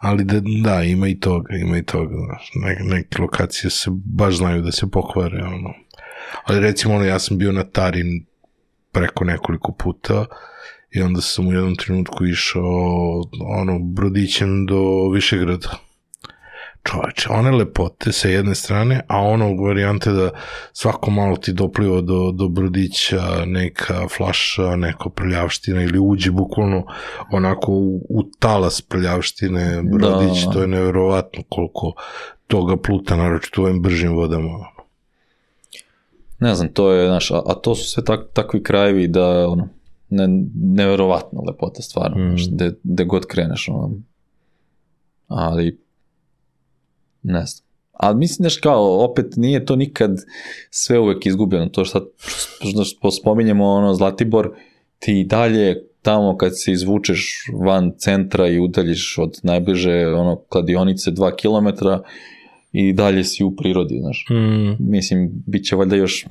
ali da, da, ima i toga, ima i toga, znaš, neke, neke lokacije se baš znaju da se pokvare, ono. Ali recimo, ono, ja sam bio na Tarin preko nekoliko puta i onda sam u jednom trenutku išao ono, brodićem do Višegrada. Čoveče, one lepote sa jedne strane, a ono varijante da svako malo ti dopliva do, do brodića neka flaša, neka prljavština ili uđe bukvalno onako u, u talas prljavštine brodić, da. To je neverovatno koliko toga pluta, naročito u ovim bržim vodama. Ne znam, to je, znaš, a, a to su sve tak, takvi krajevi da, ono, ne, neverovatna lepota stvarno, mm. znaš, gde, gde god kreneš, ono, ali, ne znam. Ali mislim, znaš, kao, opet nije to nikad sve uvek izgubljeno, to što, što spominjemo, ono, Zlatibor, ti dalje tamo kad se izvučeš van centra i udaljiš od najbliže, ono, kladionice dva kilometra, i dalje si u prirodi, znaš. Mm. Mislim, bit će valjda još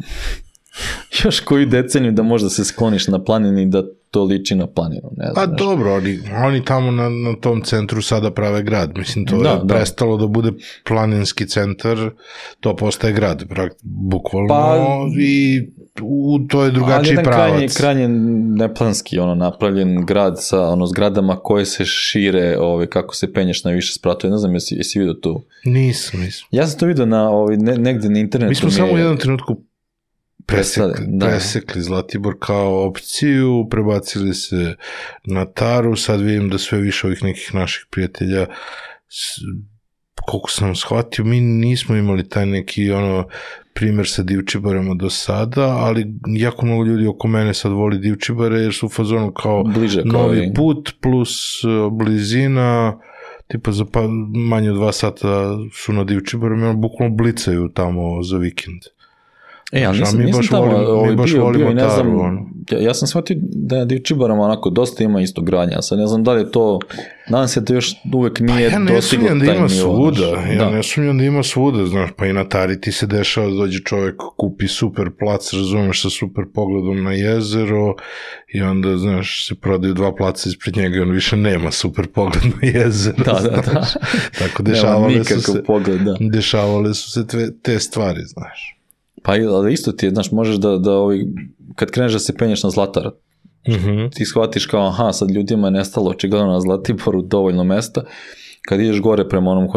još koju deceniju da možda se skloniš na planini i da to liči na planinu, ne znam. Pa znaš. Dobro, oni, oni tamo na, na tom centru sada prave grad, mislim, to da, je da. prestalo da bude planinski centar, to postaje grad, bukvalno, pa, i u, to je drugačiji pravac. Ali jedan krajnje, krajnje neplanski, ono, napravljen grad sa, ono, zgradama koje se šire, ove, kako se penješ na više spratove, ne znam, jesi, jesi vidio tu? Nisam, nisam. Ja sam to vidio na, ovaj, ne, negde na internetu. Mi smo samo u jednom trenutku presekli, da. presekli Zlatibor kao opciju, prebacili se na Taru, sad vidim da sve više ovih nekih naših prijatelja, koliko sam shvatio, mi nismo imali taj neki ono primjer sa Divčibarama do sada, ali jako mnogo ljudi oko mene sad voli Divčibare jer su u fazonu kao bliže, novi kao put plus blizina, tipa za pa, manje od dva sata su na Divčibaru, mi ono bukvalno blicaju tamo za vikend. E, ali nisam, nisam tamo, volimo, ovaj, bio, bio, ne znam, on. ja, ja sam shvatio da je u Čibarama onako dosta ima isto granja, sad ne znam da li je to, nadam se da još uvek nije ja dostiglo taj nivo. Ja ne sumnjam da ima svuda, ja da. ne sumnjam da ima svuda, znaš, pa i na Tariti se dešava da dođe čovjek, kupi super plac, razumeš, sa super pogledom na jezero i onda, znaš, se prodaju dva placa ispred njega i on više nema super pogled na jezero. Da, da, da. Tako dešavale su se, pogled, da. dešavale su se tve, te stvari, znaš. Pa ali isto ti je, znaš, možeš da, da ovi, kad kreneš da se penješ na Zlatar, Mm-hmm. ti shvatiš kao, aha, sad ljudima je nestalo očigledno na Zlatiboru dovoljno mesta, kad ideš gore prema onom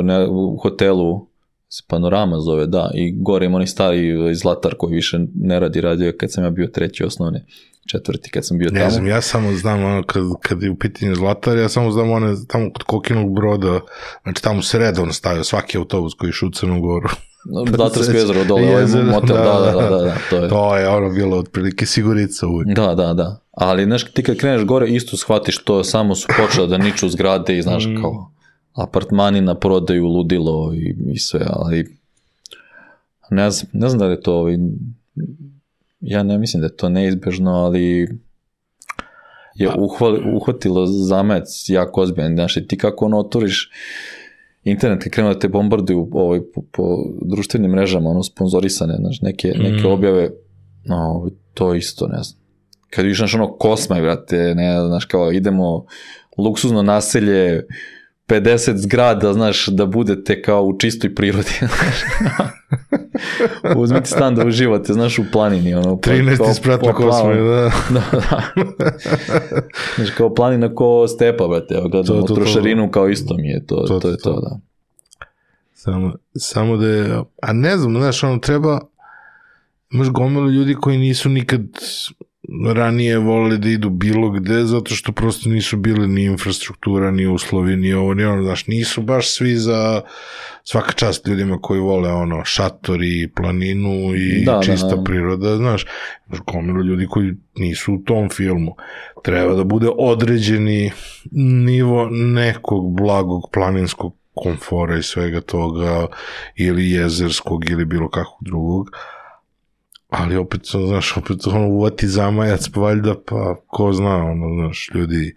hotelu, se Panorama zove, da, i gore ima onaj stari Zlatar koji više ne radi, radio kad sam ja bio treći osnovne, četvrti kad sam bio tamo. Ne znam, ja samo znam ono, kad, kad je u pitanju Zlatar, ja samo znam one tamo kod Kokinog Broda, znači tamo se redovno stavio svaki autobus koji išu u Crnu Goru. Zlatarsko jezero dole, ovaj motel, da, da, da, da, da, to je. To je ono bilo otprilike sigurica uvijek. Da, da, da, ali znaš, ti kad kreneš gore isto shvatiš to, samo su počeli da niču zgrade i znaš kao apartmani na prodaju, ludilo i, i sve, ali ne znam, ne znam da li je to ovaj, ja ne mislim da je to neizbežno, ali je uhvali, uhvatilo zamajac jako ozbiljan, znaš, i ti kako ono otvoriš internet kad krenu da te bombarduju ovaj, po, po društvenim mrežama, ono sponzorisane, znaš, neke, neke mm. objave, no, to isto, ne znam. Kad vidiš, znaš, ono, Kosmaj, brate, ne, znaš, kao idemo luksuzno naselje, pedeset zgrada, znaš, da budete kao u čistoj prirodi. Uzmite stan da uživate, znaš, u planini. Ono, trinaesti sprat na Kosmaj, da. Da, da. Znaš, kao planina ko stepa, brate, evo, gledamo to, to, trošarinu to, kao isto mi je, to, to, to je to, to, da. Samo, samo da je, a ne znam, znaš, ono, treba, imaš gomilu ljudi koji nisu nikad ranije volili da idu bilo gde, zato što prosto nisu bili ni infrastruktura, ni uslovi, ni ovo, ni ono, znaš, nisu baš svi za svaka čast ljudima koji vole ono, šatori, planinu i da, čista da, da. priroda, znaš, gomilu ljudi koji nisu u tom filmu. Treba da bude određeni nivo nekog blagog planinskog komfora i svega toga, ili jezerskog, ili bilo kakvog drugog. Ali opet, znaš, opet ono uvati zamajac, pa valjda, pa ko zna, ono, znaš, ljudi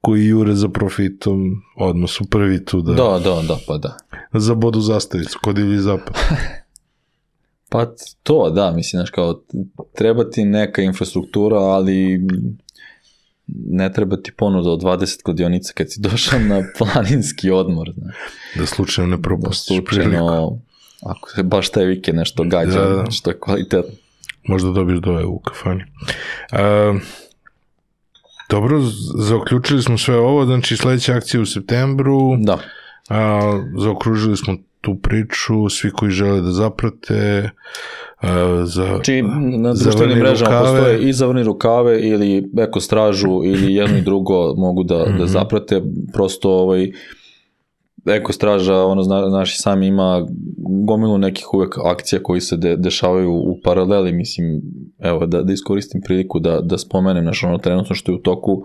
koji jure za profitom, odmah su prvi tu da... Da, da, da, pa da. Za bodu zastavicu, kod ili zapad. Pa to, da, mislim, znaš, kao, treba ti neka infrastruktura, ali ne treba ti ponuda od dvadeset kladionica kad si došao na planinski odmor, znaš. Da slučajno ne propustiš priliku. Ako se baš taj vikend nešto gađa, da, da. Što je kvalitetno. Možda dobiješ dove u kafani. Uh, dobro, zaokručili smo sve ovo, znači sledeća akcija u septembru. Da. Uh, zaokružili smo tu priču, svi koji žele da zaprate. Uh, za, znači, na društvenim mrežama postoje i zavrni rukave ili eko stražu ili jedno i drugo mogu da, mm-hmm. da zaprate. Prosto ovaj Eko straža, ono, znaš, sami ima gomilu nekih uvek akcija koji se de, dešavaju u paraleli, mislim, evo, da, da iskoristim priliku da, da spomenem, znaš, ono, trenutno što je u toku,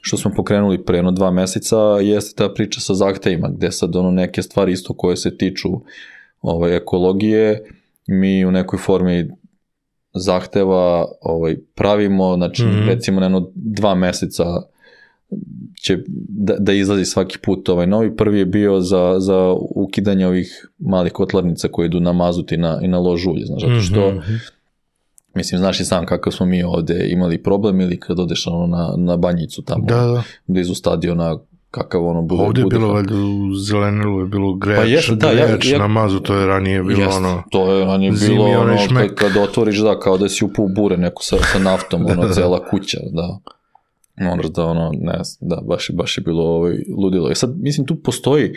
što smo pokrenuli pre jedno dva meseca, jeste ta priča sa zahtevima, gde sad, ono, neke stvari isto koje se tiču ovaj, ekologije, mi u nekoj formi zahteva ovaj, pravimo, znači, mm-hmm. recimo, na jedno dva meseca će da, da izlazi svaki put ovaj novi. Prvi je bio za, za ukidanje ovih malih kotlarnica koje idu na mazut i na, i na lož ulje, znaš, zato što mm-hmm. mislim, znaš i sam kakav smo mi ovde imali problem ili kad odeš ono na, na banjicu tamo, da, da. blizu stadiona, kakav ono bude. Ovdje je bude bilo valjda u Zelenilu je bilo greč, pa jest, da, greč ja, ja, na mazu, to je ranije bilo jest, ono to je ranije bilo ono kad, kad otvoriš, da, kao da si upao u bure neko sa, sa naftom, ono, da, cela kuća, da. Moraš da ono, ne znam, da, baš je, baš je bilo ovaj, ludilo. I sad, mislim, tu postoji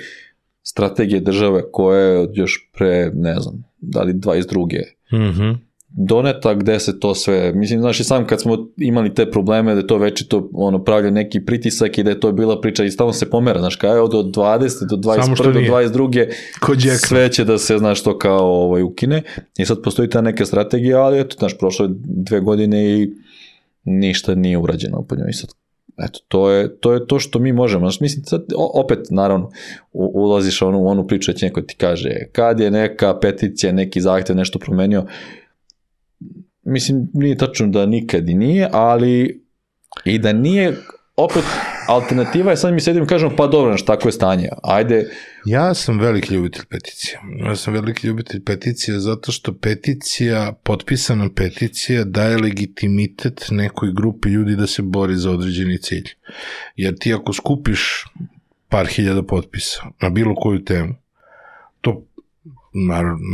strategije države koje još pre, ne znam, da li dvadeset druge Mm-hmm. doneta gde se to sve, mislim, znaš i sam kad smo imali te probleme da je to večito ono, pravlja neki pritisak i da je to bila priča i stalno se pomera, znaš, kao od dvadesete do dvadeset prve do dvadeset druge sve će da se, znaš, to kao ovaj, ukine i sad postoji ta neka strategija, ali eto, znaš, prošle dve godine i ništa nije urađeno po njoj. Sad, eto, to je, to je to što mi možemo. Znači, mislim, sad, opet, naravno, u, ulaziš onu, u onu priču, će neko ti kaže, kad je neka peticija, neki zahtev, nešto promenio, mislim, nije tačno da nikad i nije, ali i da nije, opet, alternativa je, sad mi sedim i kažemo, pa dobro, znaš, tako je stanje, ajde. Ja sam veliki ljubitelj peticija. Ja sam veliki ljubitelj peticija zato što peticija, potpisana peticija daje legitimitet nekoj grupi ljudi da se bori za određeni cilj. Jer ti ako skupiš par hiljada potpisa na bilo koju temu, to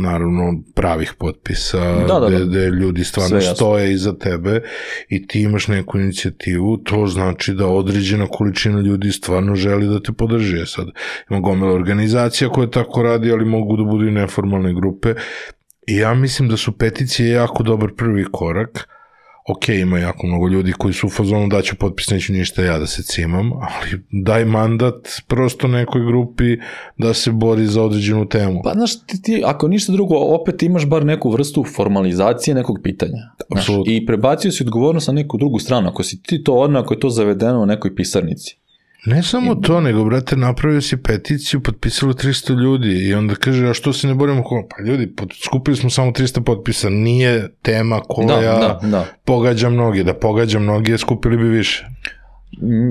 naravno pravih potpisa, da, da, da. gde ljudi stvarno stoje iza tebe i ti imaš neku inicijativu, to znači da određena količina ljudi stvarno želi da te podrži. Sad ima gomila organizacija koja tako radi, ali mogu da budu i neformalne grupe i ja mislim da su peticije jako dobar prvi korak. Ok, ima jako mnogo ljudi koji su u fazonu da ću potpis, neću ništa ja da se cimam, ali daj mandat prosto nekoj grupi da se bori za određenu temu. Pa znaš, ti, ti ako ništa drugo, opet imaš bar neku vrstu formalizacije nekog pitanja. Znaš, i prebacio si odgovornost na neku drugu stranu. Ako si ti to odmah, ako je to zavedeno u nekoj pisarnici. Ne samo to, nego, brate, napravio si peticiju, potpisalo tristo ljudi i onda kaže, a što se ne borimo? Pa ljudi, skupili smo samo tristo potpisa, nije tema koja da, da, da. pogađa mnogi, da pogađa mnogi, skupili bi više.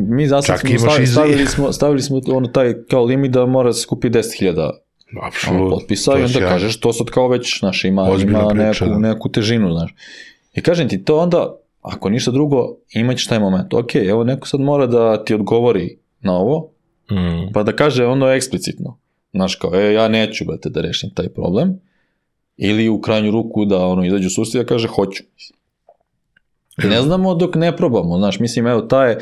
Mi zasad smo stavili, stavili smo, stavili smo ono taj kao limit da mora se skupi deset hiljada potpisa i onda sjajno. Kažeš, to sad kao već, znaš, ima, ima priča, neku, neku težinu, znaš. I kažem ti, to onda, ako ništa drugo, imaćeš taj moment. Ok, evo neko sad mora da ti odgovori na ovo, mm. pa da kaže ono eksplicitno. Znaš kao, e, ja neću, brate, da rešim taj problem. Ili u krajnju ruku da ono izađu susti da kaže, hoću. Ne znamo dok ne probamo, znaš, mislim, evo, taj,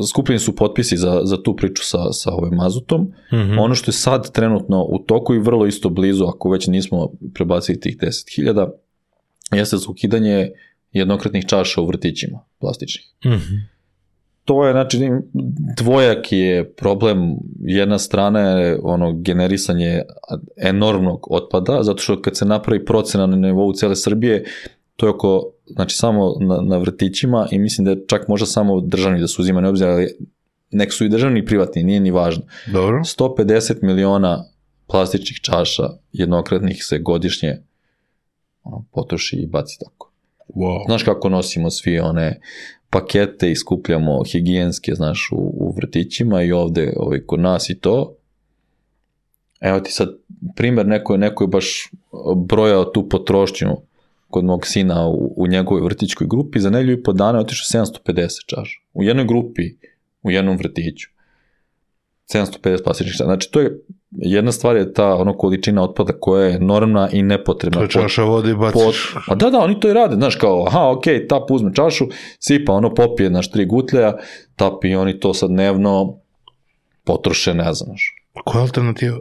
skupljeni su potpisi za, za tu priču sa, sa ovim mazutom. Mm-hmm. Ono što je sad trenutno u toku i vrlo isto blizu, ako već nismo prebacili tih deset hiljada, jeste za ukidanje jednokratnih čaša u vrtićima, plastičnih. Mm-hmm. To je, znači, dvojaki je problem. Jedna strana je ono generisanje enormnog otpada, zato što kad se napravi procena na nivou cele Srbije, to je oko, znači, samo na, na vrtićima i mislim da je čak možda samo državni da se uzima ne obzir, ali nek su i državni i privatni, nije ni važno. Dobro. sto pedeset miliona plastičnih čaša jednokratnih se godišnje ono, potroši i baci tako. Wow. Znaš kako nosimo svi one pakete i skupljamo higijenske, znaš, u, u vrtićima i ovde ovaj, kod nas i to. Evo ti sad primjer, neko je, neko je baš brojao tu potrošnju kod mog sina u, u njegovoj vrtićkoj grupi, za nedelju i po dana je otišao sedamsto pedeset čaša. U jednoj grupi, u jednom vrtiću. sedamsto pedeset plastičnih čaša. Znači, to je, jedna stvar je ta ono količina otpada koja je normalna i nepotrebna. To je čaša vode i baciš. Pot, pa da, da, oni to i rade, znaš, kao, aha, ok, tap uzme čašu, sipa, ono popije, znaš, tri gutlja, tap i oni to sad dnevno potroše, ne znam, znaš. Koja je alternativa?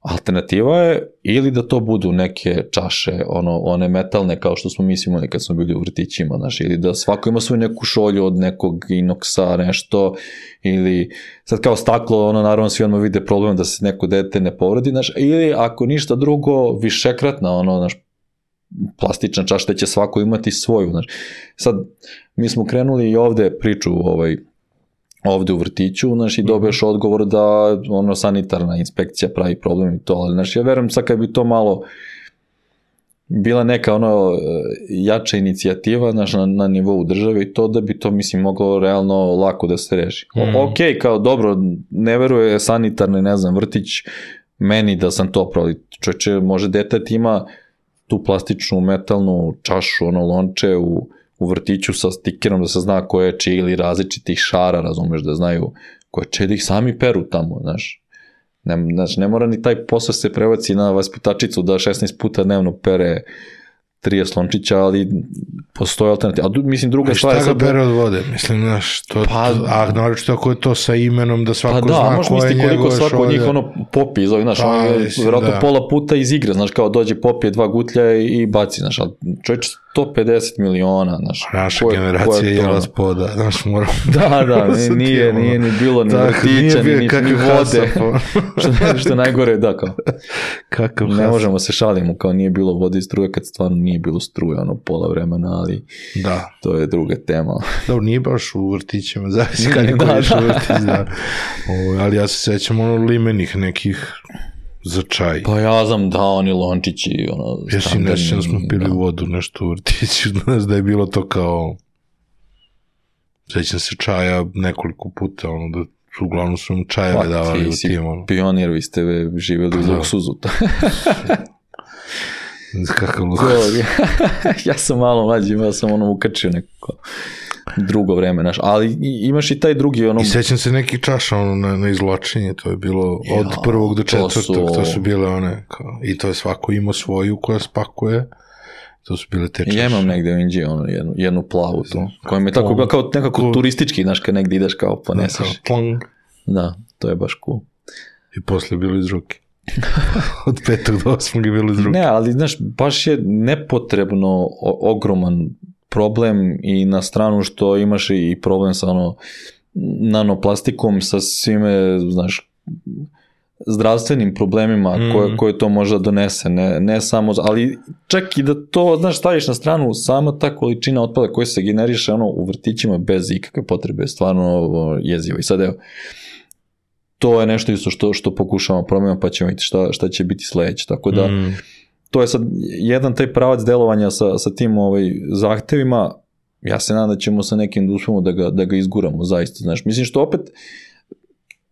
Alternativa je ili da to budu neke čaše, ono, one metalne kao što smo mislili kad smo bili u vrtićima, znaš, ili da svako ima svoju neku šolju od nekog inoksa, nešto, ili sad kao staklo, ono, naravno svi odmah vide problem da se neko dete ne povredi, znaš, ili ako ništa drugo, višekratna, ono, znaš, plastična čaša, da će svako imati svoju, znaš. Sad, mi smo krenuli i ovde priču, ovaj, ovde u vrtiću, znaš, i dobiješ odgovor da ono sanitarna inspekcija pravi problem i to, ali znaš, ja verujem sad kad bi to malo bila neka ono jača inicijativa, znaš, na, na nivou države i to da bi to, mislim, moglo realno lako da se reši. Mm. Ok, kao dobro, ne veruje sanitarni, ne znam, vrtić meni da sam to proli. Čovječe, može detet ima tu plastičnu metalnu čašu, ono lonče u u vrtiću sa stikerom da se zna ko je čiji ili različitih šara, razumeš, da znaju ko je čiji, da ih sami peru tamo, znaš. Ne, znaš, ne mora ni taj posao se prebaci na vaspitačicu da šesnaest puta dnevno pere trideset lončića, ali postoje alternativa. A mislim, druga stvar... A šta ga bere od vode? Mislim, znaš, to, pa, a naročito ako je to sa imenom da svako pa da, zna ko je njegove šolje. Pa da, možeš misliti koliko svako od njih ono popije, zove, znaš, pa, on je vjerojatno da. pola puta iz igre, znaš, kao dođe, popije dva gutlja i, i baci, znaš, ali čovječ sto pedeset miliona, znaš. Naša koje, generacija je jela spoda, znaš, moramo... Da, da, nije, nije ni bilo ni vrtića, ni, ni vode. što, što najgore, da, kao. Kakav ne možemo se šalimo, kao nije bilo vode i struje, kad stvarno nije bilo struje, ono, pola vremena, ali da. To je druga tema. Dobro, nije baš u vrtićima, zavisi kad neko da, iš da. u vrtić, da. O, ali ja se sećam ono limenih nekih za čaj. Pa ja znam da oni lončići, ono, Ja si nešto da smo pili da. vodu, nešto u vrtiću, znaš da je bilo to kao, sećam se čaja nekoliko puta, ono, da uglavnom su im čajeve davali u tim, ono. Pionir, vi ste živjeli u luksuzu. Kakav luksuz. Ja sam malo mlađi, ja sam ono ukačio neko drugo vreme, naš, ali imaš i taj drugi, ono... I sećam se nekih čaša, ono, na, na izvlačenje, to je bilo od ja, prvog do četvrtog, to su, to su bile one, kao, i to je svako imao svoju koja spakuje, to su bile te čaše. Ja imam negde u Indiji, ono, jednu, jednu plavu, to, koja mi je tako bila kao nekako ko, turistički, znaš, kad negde ideš kao poneseš. Da, da, to je baš cool. I posle bilo iz ruke. Od petog do osmog je bilo iz ruke. Ne, ali, znaš, baš je nepotrebno o, ogroman problem i na stranu što imaš i problem sa ono nanoplastikom, sa svime, znaš, zdravstvenim problemima mm. koje, koje to može donese, ne, ne samo, ali čak i da to, znaš, staviš na stranu, sama ta količina otpada koja se generiše ono, u vrtićima bez ikakve potrebe, stvarno jezivo. I sad evo, to je nešto isto što, što pokušavamo promijeniti, pa ćemo vidjeti šta, šta će biti sledeće, tako da mm. to je sad jedan taj pravac delovanja sa, sa tim ovaj, zahtevima, ja se nadam da ćemo sa nekim da uspemo da ga, da ga izguramo, zaista, znaš, mislim što opet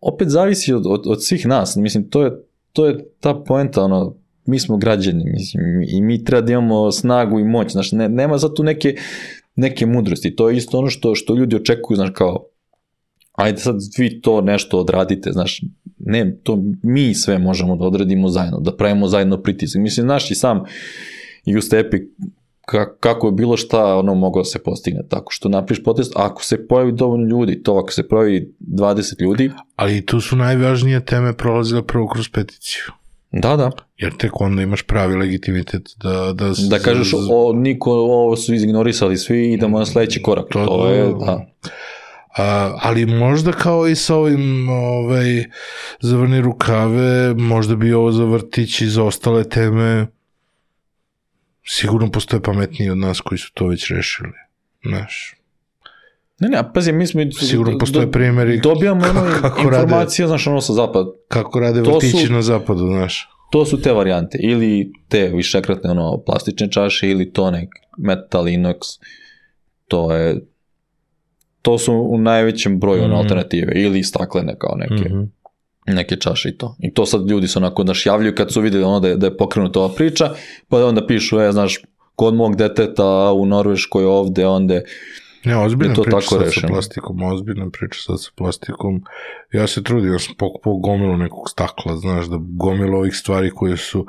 opet zavisi od, od, od svih nas, mislim, to je, to je ta poenta, ono, mi smo građani, mislim, i mi treba da imamo snagu i moć, znaš, ne, nema za tu neke, neke mudrosti, to je isto ono što, što ljudi očekuju, znaš, kao, ajde sad vi to nešto odradite, znaš, ne, to mi sve možemo da odradimo zajedno, da pravimo zajedno pritisak, mislim, znaš i sam i u Stepi kako je bilo šta ono moglo se postigne, tako što napriš protest, ako se pojavi dovoljno ljudi, to ako se pojavi dvadeset ljudi. Ali tu su najvažnije teme prolazile prvo kroz peticiju. Da, da. Jer tek onda imaš pravi legitimitet da... Da, da kažeš, o, niko, ovo su izignorisali svi, idemo na sledeći korak, to, to je, da. A, ali možda kao i sa ovim ovaj, zavrni rukave, možda bi ovo za vrtić i za ostale teme, sigurno postoje pametniji od nas koji su to već rešili, znaš. Ne, ne, a pazi, mi smo... Sigurno postoje do, primjeri dobijamo ono informacije, znaš, ono sa zapada. Kako rade vrtići su, na zapadu, znaš. To su te varijante, ili te višekratne, ono, plastične čaše, ili to nek metal, inox, to je... To su u najvećem broju mm-hmm. alternative, ili staklene kao neke, mm-hmm. neke čaše i to. I to sad ljudi se onako naš javljaju kad su videli ono da je, da je pokrenuta ova priča, pa onda pišu, e, znaš, kod mog deteta u Norveškoj ovde, onda ne, ozbiljna priča sad rešeno. Sa plastikom, ozbiljna priča sad sa plastikom. Ja se trudim, ja sam pokupao gomilu nekog stakla, znaš, da gomilu ovih stvari koje su,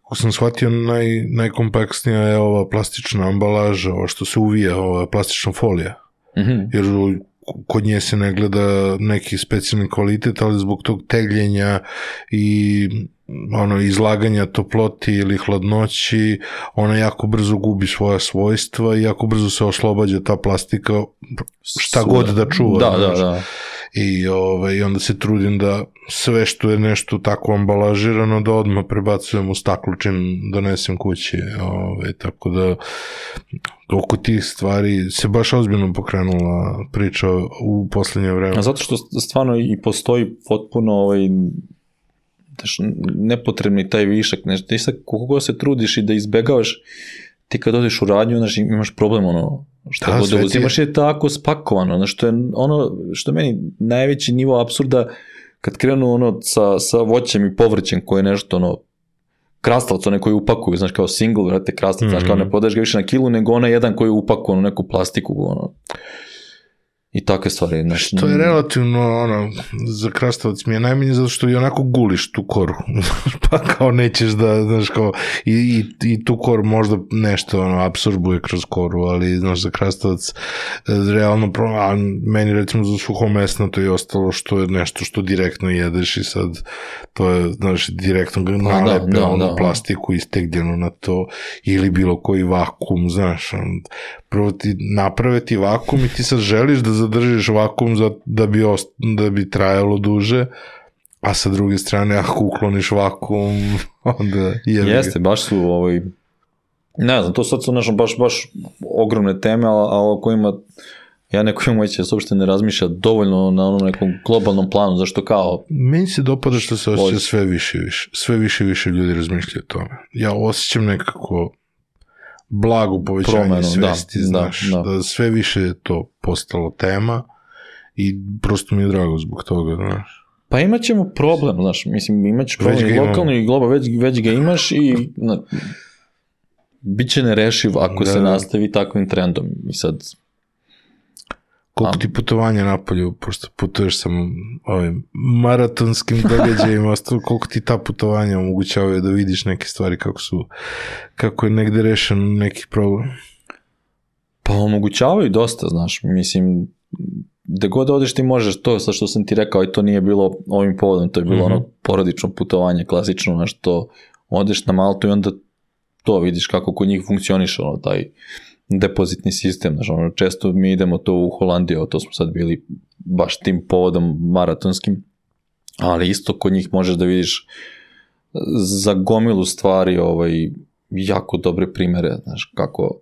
kako sam shvatio, naj, najkompaksnija je ova plastična ambalaža, ovo što se uvija, ova plastična folija. Mm-hmm. Jer kod nje se ne gleda neki specijalni kvalitet, ali zbog tog tegljenja i ono izlaganja toploti ili hladnoći, ona jako brzo gubi svoja svojstva i jako brzo se oslobađa ta plastika šta god da čuva. Da, da, da. I, ove, i onda se trudim da sve što je nešto tako ambalažirano da odmah prebacujem u staklo čim donesem kući. Ove, tako da oko tih stvari se baš ozbiljno pokrenula priča u poslednje vreme. A zato što stvarno i postoji potpuno ovaj, nepotrebni taj višak. Znači, ti sad koliko se trudiš i da izbegavaš, ti kad odeš u radnju, znači, imaš problem ono što da, god da uzimaš je tako spakovano, znači, što je ono što je meni najveći nivo apsurda kad krenu ono sa, sa voćem i povrćem koje je nešto ono krastavac, one koji upakuju, znaš, kao single, vrate, krastavac, mm-hmm. znaš, kao ne podaješ ga više na kilu, nego ona jedan koji upakuje ono neku plastiku, ono, i takve stvari. Znači, što je relativno, ono, za krastavac mi je najmanje zato što i onako guliš tu koru, pa kao nećeš da, znaš, kao, i, i, i tu koru možda nešto, ono, apsorbuje kroz koru, ali, znaš, za krastavac, realno, a meni, recimo, za suhomesno to je ostalo što je nešto što direktno jedeš i sad, to je, znaš, direktno ga nalepe, da, da, ono, da, plastiku istegljeno na to, ili bilo koji vakum, znaš, on, prvo ti naprave ti vakum i ti sad želiš da zadržiš vakum za, da, bi ost, da bi trajalo duže, a sa druge strane ako ukloniš vakum, onda jebi. Jeste, baš su ovaj, ne znam, to sad su našo baš, baš ogromne teme, ali, ali o kojima ja neko imam moći da se uopšte ne razmišlja dovoljno na onom nekom globalnom planu, zašto kao... Meni se dopada što se osjeća sve više i više. Sve više i više ljudi razmišljaju o tome. Ja osjećam nekako blago povećanje Promenu, svesti, da, znaš, da, da. da sve više je to postalo tema i prosto mi je drago zbog toga, znaš. Pa imat ćemo problem, znaš, mislim, imat ćeš problem i lokalno i globalno, već, već ga imaš i na, bit će nerešiv ako da, se nastavi takvim trendom. I sad... Koliko ti putovanja napolju, pošto putuješ sa ovim maratonskim događajima, koliko ti ta putovanja omogućavaju da vidiš neke stvari kako su, kako je negde rešen neki problem? Pa omogućavaju dosta, znaš, mislim, gde god odeš ti možeš, to sa što sam ti rekao i to nije bilo ovim povodom, to je bilo mm-hmm. ono porodično putovanje, klasično, znaš, to odeš na Maltu i onda to vidiš kako kod njih funkcioniše, ono, taj depozitni sistem, znači ono, često mi idemo to u Holandiju, to smo sad bili baš tim povodom maratonskim, ali isto kod njih možeš da vidiš za gomilu stvari ovaj, jako dobre primere, znaš, kako,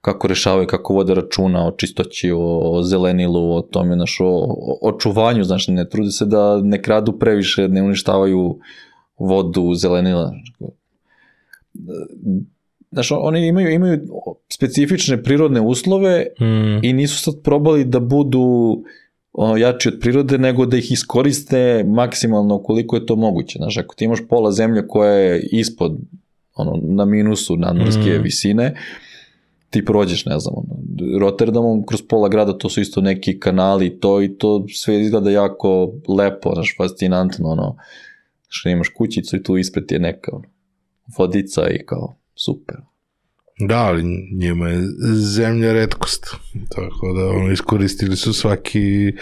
kako rešavaju, kako vode računa o čistoći, o, o zelenilu, o tome, znaš, o, o čuvanju, znaš, ne trude se da ne kradu previše, ne uništavaju vodu, zelenila, znaš, oni imaju, imaju specifične prirodne uslove mm. i nisu sad probali da budu ono, jači od prirode, nego da ih iskoriste maksimalno koliko je to moguće. Znaš, ako ti imaš pola zemlje koja je ispod, ono, na minusu nadmorske mm. visine, ti prođeš, ne znam, ono, Rotterdamom kroz pola grada, to su isto neki kanali, to i to sve izgleda jako lepo, znaš, fascinantno, ono, što imaš kućicu i tu ispred ti je neka ono, vodica i kao super. Da, ali njima je zemlja retkost, tako da ono, iskoristili su svaki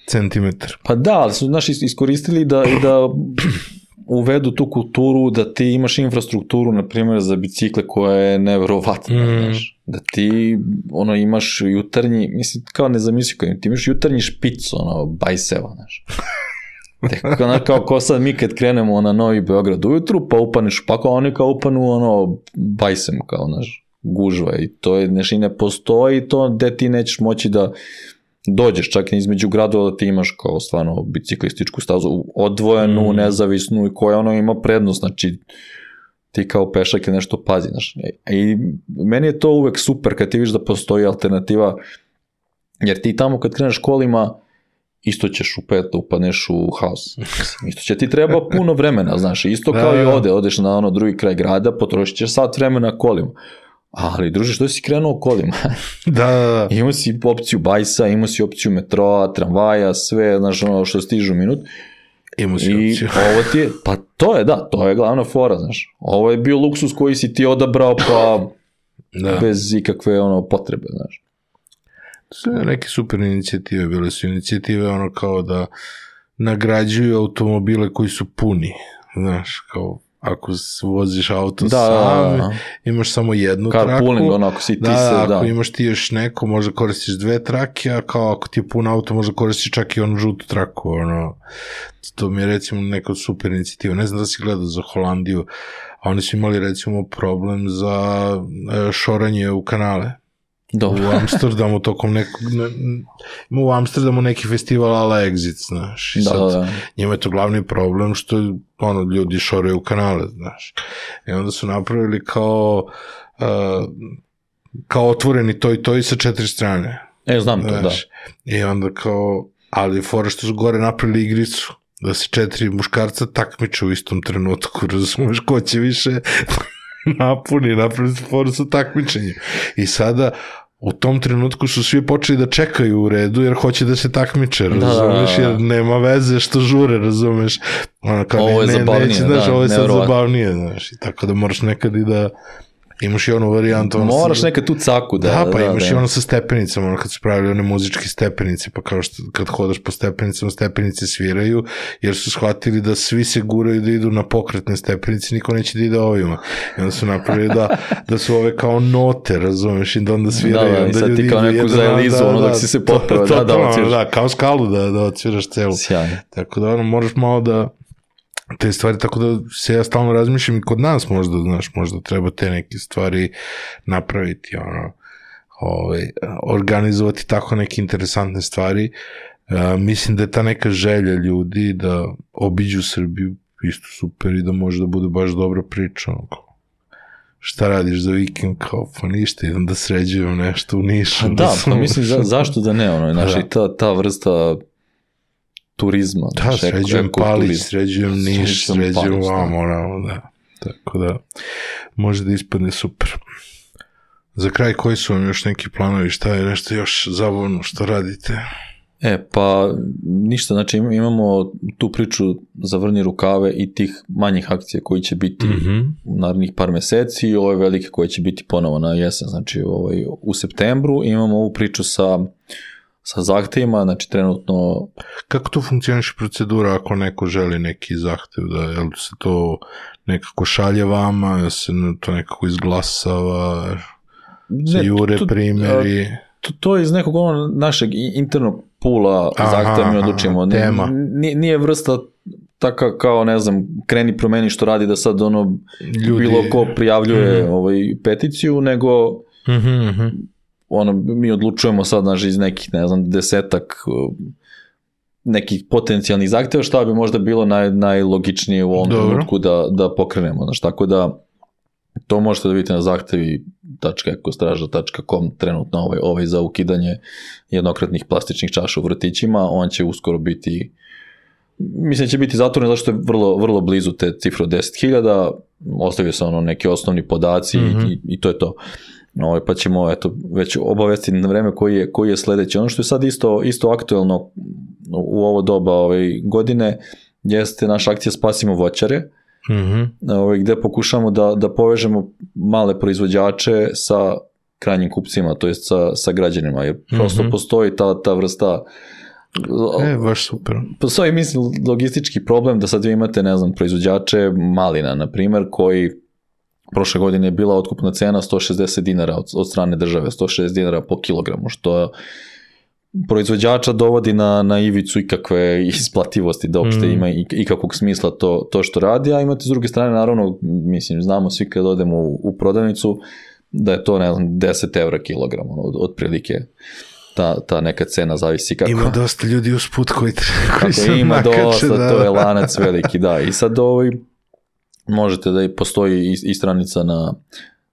centimetar. Pa da, ali su naši iskoristili da, i da uvedu tu kulturu, da ti imaš infrastrukturu, na primjer, za bicikle koja je neverovatna, mm. znaš, da ti ono, imaš jutarnji, mislim, kao ne zamisli, kao, ti imaš jutarnji špic, ono, bajseva, znaš. Kao, kao, kao sad mi kad krenemo na Novi Beograd ujutru, pa upaneš, pa kao oni kao upanu ono bajsem, kao naš gužva i to je, nešto i ne postoji to gde ti nećeš moći da dođeš čak između gradova da ti imaš kao stvarno biciklističku stazu odvojenu, mm. nezavisnu i koja ono ima prednost, znači ti kao pešak je nešto pazi, znaš. I meni je to uvek super kad ti vidiš da postoji alternativa, jer ti tamo kad kreneš kolima isto ćeš u pet upadneš u haos. Isto će ti treba puno vremena, znaš, isto kao da, i ovde, odeš na ono drugi kraj grada, potrošit ćeš sat vremena kolima. Ali, druže, što si krenuo kolima? Da, da, da. Imao si opciju bajsa, imao si opciju metroa, tramvaja, sve, znaš, ono što stižu u minut. Imao si I opciju. ovo ti je, pa to je, da, to je glavna fora, znaš. Ovo je bio luksus koji si ti odabrao, pa da. Bez ikakve, ono, potrebe, znaš. Sve neke super inicijative, bile su inicijative ono kao da nagrađuju automobile koji su puni, znaš, kao ako voziš auto da, sam, da, da. imaš samo jednu Car traku. Pooling, ono, ako si ti da, se, da, ako da. imaš ti još neko, možda koristiš dve trake, a kao ako ti je pun auto, možda koristiš čak i onu žutu traku, ono, to mi je recimo neka super inicijativa, ne znam da si gledao za Holandiju, a oni su imali recimo problem za šoranje u kanale. Dobro. U Amsterdamu tokom nekog, ne, ima u Amsterdamu neki festival ala Exit, znaš, i da, sad da, da. njima je to glavni problem što ono, ljudi šoraju kanale, znaš, i onda su napravili kao uh, kao otvoreni to i to i sa četiri strane. E, znam to, znaš, da. I onda kao, ali fora što su gore napravili igricu, da se četiri muškarca takmiče u istom trenutku, razumeš, ko će više napuni, napravili su foru sa takmičenjem. I sada u tom trenutku su svi počeli da čekaju u redu jer hoće da se takmiče, razumeš, jer nema veze što žure, razumeš. Ono kao, ovo je ne, zabavnije, neće, znaš, da, ovo je sad nevjerovatno. zabavnije, znaš, i tako da moraš nekad i da imaš i onu varijantu. Ono moraš sa, nekad tu caku da... Da, pa da, imaš da. i ono sa stepenicama, ono kad su pravili one muzičke stepenice, pa kao što kad hodaš po stepenicama, stepenice sviraju, jer su shvatili da svi se guraju da idu na pokretne stepenice, niko neće da ide ovima. I onda su napravili da, da su ove kao note, razumeš, i da onda sviraju. Da, da, i sad ti kao neku za Elizu, da, ono dok si se popravo, da, da, odsviraš. Da, kao skalu da, da odsviraš celu. Sjajno. Tako da ono, moraš malo da te stvari, tako da se ja stalno razmišljam i kod nas možda, znaš, možda treba te neke stvari napraviti, ono, ovaj, organizovati tako neke interesantne stvari. Uh, mislim da je ta neka želja ljudi da obiđu Srbiju isto super i da može da bude baš dobra priča. Onako. Šta radiš za vikend? Kao, pa ništa, idem da sređujem nešto u Nišu. Da, da pa mislim, za, zašto da ne? Ono, znači, da. ta, ta vrsta turizma. Da, znači, sređujem Palić, sređujem Niš, sređujem vam, ono, da. Tako da, može da ispadne super. Za kraj, koji su vam još neki planovi? Šta je nešto još zabavno što radite? E, pa ništa, znači imamo tu priču za vrnje rukave i tih manjih akcija koji će biti mm-hmm. u narednih par meseci i ove velike koje će biti ponovo na jesen, znači ovaj, u septembru. Imamo ovu priču sa, sa zahtevima, znači trenutno... Kako to funkcioniše procedura ako neko želi neki zahtev, da je li se to nekako šalje vama, da se to nekako izglasava, se jure primjeri... To, to je iz nekog ono našeg internog pula zahteva mi odlučimo. Tema. Nije, nije vrsta taka kao, ne znam, kreni promeni što radi da sad ono ljudi... bilo ko prijavljuje mm-hmm. ovaj, peticiju, nego mm-hmm. ono, mi odlučujemo sad naš iz nekih, ne znam, desetak nekih potencijalnih zahteva šta bi možda bilo naj, najlogičnije u ovom trenutku da, da pokrenemo. Znaš, tako da to možete da vidite na zahtevi tačka ekostraža tačka com trenutno ovaj, ovaj za ukidanje jednokratnih plastičnih čaša u vrtićima, on će uskoro biti, mislim će biti zatvoren zato što je vrlo, vrlo blizu te cifre od deset hiljada, ostavio se ono neki osnovni podaci mm-hmm. i, i to je to. Ovaj, pa ćemo eto, već obavestiti na vreme koji je, koji je sledeći. Ono što je sad isto, isto aktuelno u ovo doba ovaj, godine jeste naša akcija Spasimo voćare, mm-hmm. ovaj, gde pokušamo da, da povežemo male proizvođače sa krajnjim kupcima, to jest sa, sa građanima, jer prosto mm-hmm. postoji ta, ta vrsta e, baš super. Postoji, mislim, logistički problem da sad vi imate, ne znam, proizvođače malina, na primer, koji prošle godine je bila otkupna cena sto šezdeset dinara od, od strane države, sto šezdeset dinara po kilogramu, što proizvođača dovodi na, na ivicu ikakve isplativosti da uopšte mm. ima ikakvog smisla to, to što radi, a imate s druge strane, naravno, mislim, znamo svi kad odemo u, u prodavnicu da je to, ne znam, deset evra kilogram, ono, od, otprilike ta, ta neka cena zavisi kako... Ima dosta ljudi usput koji, koji se ima nakače, dosta, da. To je lanac veliki, da, i sad ovaj, možete da i postoji i, i stranica na,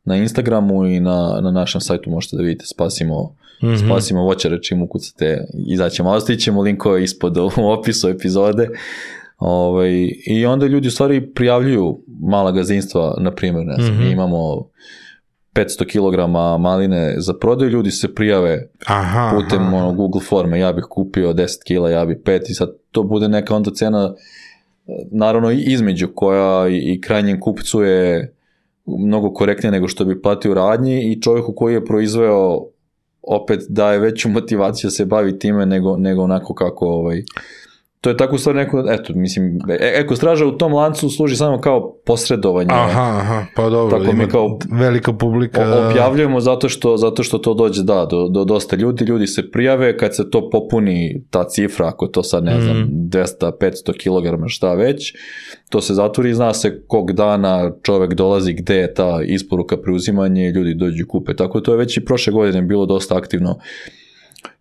na Instagramu i na, na našem sajtu možete da vidite Spasimo Mm-hmm. Spasimo voćare, čim ukucate, izaćemo, ostavit ćemo linkove ispod u opisu epizode. Ovaj, i onda ljudi u stvari prijavljuju mala gazdinstva, na primjer, ne znam, mm-hmm. mi imamo petsto kilograma maline za prodaju, ljudi se prijave aha, putem aha. Ono, Google forme, ja bih kupio deset kila, ja bih pet i sad to bude neka onda cena, naravno između koja i, i krajnjem kupcu je mnogo korektnije nego što bi platio radnji i čovjeku koji je proizveo opet daje veću motivaciju da se bavi time nego, nego onako kako ovaj, to je tako u stvari neko, eto, mislim, ekostraža u tom lancu služi samo kao posredovanje. Aha, aha, pa dobro, tako mi kao velika publika. Objavljujemo zato što, zato što to dođe, da, do, do dosta ljudi, ljudi se prijave, kad se to popuni, ta cifra, ako to sad, ne znam, mm. dvesta do petsto kilograma, šta već, to se zatvori i zna se kog dana čovek dolazi, gde je ta isporuka, preuzimanje, ljudi dođu i kupe. Tako to je već i prošle godine bilo dosta aktivno.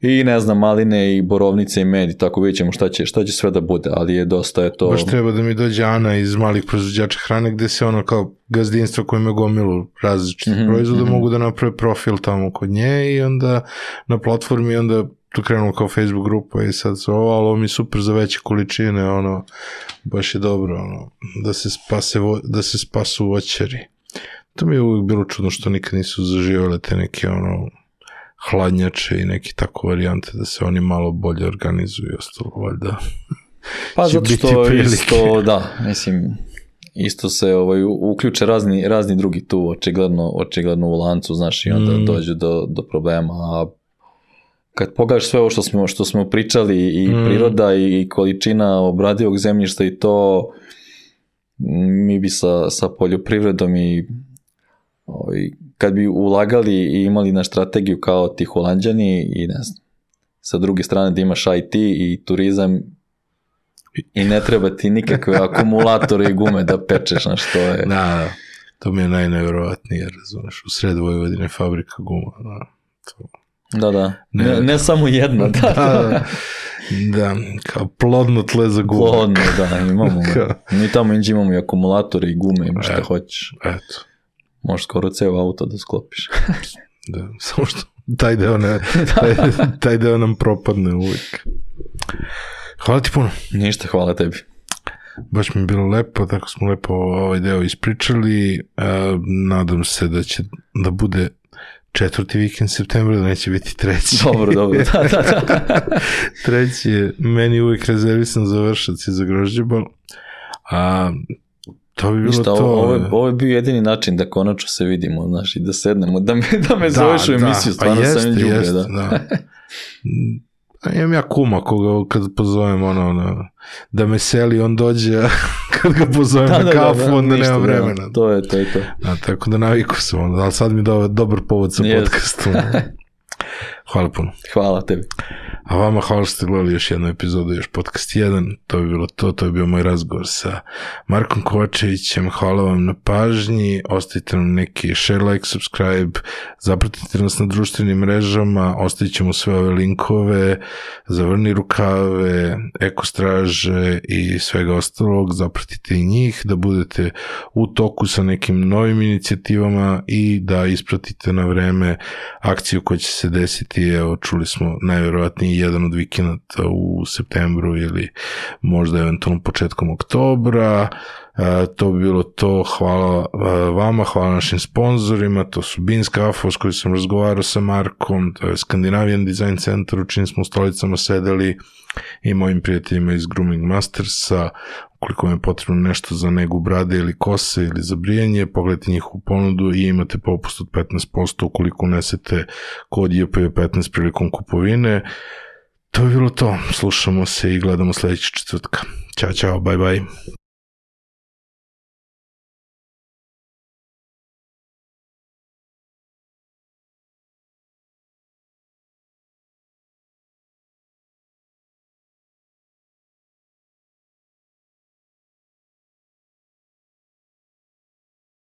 I ne znam, maline i borovnice i med i tako vidjet ćemo šta će, šta će sve da bude, ali je dosta je to... Baš treba da mi dođe Ana iz malih proizvođača hrane gde se ono kao gazdinstvo koje ima gomilu različitih mm-hmm, proizvoda mm-hmm. mogu da naprave profil tamo kod nje i onda na platformi onda tu krenu kao Facebook grupa i sad su ovo, ali ovo mi je super za veće količine, ono, baš je dobro, ono, da se spase, da se spasu voćari. To mi je uvijek bilo čudno što nikad nisu zaživjele te neke, ono, hladnjače i neki tako varijante da se oni malo bolje organizuju i ostalo, valjda. Pa zato što isto, da, mislim, isto se ovaj, uključe razni, razni drugi tu, očigledno, očigledno u lancu, znaš, i onda mm. dođu do, do problema, a kad pogledaš sve ovo što smo, što smo pričali i mm. priroda i količina obradivog zemljišta i to, mi bi sa, sa poljoprivredom i ovaj, kad bi ulagali i imali na strategiju kao ti Holanđani i ne znam, sa druge strane da imaš I T i turizam i ne treba ti nikakve akumulatore i gume da pečeš, na što je... Da, to mi je najnevjerovatnije, razumeš, u sred Vojvodine fabrika guma, da. Da, da. Ne, ne, ne samo jedna. Da, da, da. Da, kao plodno tle za gume. Plodno, da, imamo. Mi tamo inđe imamo i akumulatore i gume, ima šta e, hoćeš. Eto. Možeš skoro ceo auto da sklopiš. Da, samo što taj deo, ne, taj, taj deo nam propadne uvijek. Hvala ti puno. Ništa, hvala tebi. Baš mi je bilo lepo, tako smo lepo ovaj deo ispričali. Uh, nadam se da će da bude četvrti vikend septembra, da neće biti treći. Dobro, dobro, da, da, da. Treći je meni uvijek rezervisan za Vršac i za Grožđebal. A to bi bilo Ništa, to. Ovo je, ovo je bio jedini način da konačno se vidimo, znaš, i da sednemo, da me, da me da, zoveš u emisiju, stvarno pa jeste, sam ljubre, jeste, da. da. A imam ja kuma koga kad pozovem ono, ono, da me seli, on dođe, kad ga pozovem da, na da, kafu, da, da, onda ništa, nema vremena. Da, to je, to je to. A, tako da naviku sam, ono, ali sad mi je do, dobar povod sa yes. podcastom. Hvala puno. Hvala tebi. A vama hvala što ste gledali još jednu epizodu, još podcast jedan, to bi bilo to, to je bio moj razgovor sa Markom Kovačevićem, hvala vam na pažnji, ostavite nam neki share, like, subscribe, zapratite nas na društvenim mrežama, ostavit ćemo sve ove linkove, zavrni rukave, ekostraže i svega ostalog, zapratite i njih, da budete u toku sa nekim novim inicijativama i da ispratite na vreme akciju koja će se desiti, evo čuli smo najvjerovatnije jedan od vikenda u septembru ili možda eventualno početkom oktobra. E, to bi bilo to. Hvala vama, hvala našim sponzorima, to su Beans Cafe s kojim sam razgovarao sa Markom, to je Scandinavian Design Center u čim smo u stolicama sedeli i mojim prijateljima iz Grooming Mastersa. Ukoliko vam je potrebno nešto za negu brade ili kose ili za brijanje, pogledajte njihovu ponudu i imate popust od petnaest posto ukoliko unesete kod J P petnaest prilikom kupovine. To je bilo to. Slušamo se i gledamo sljedećeg četvrtka. Ćao, čao, bye, bye.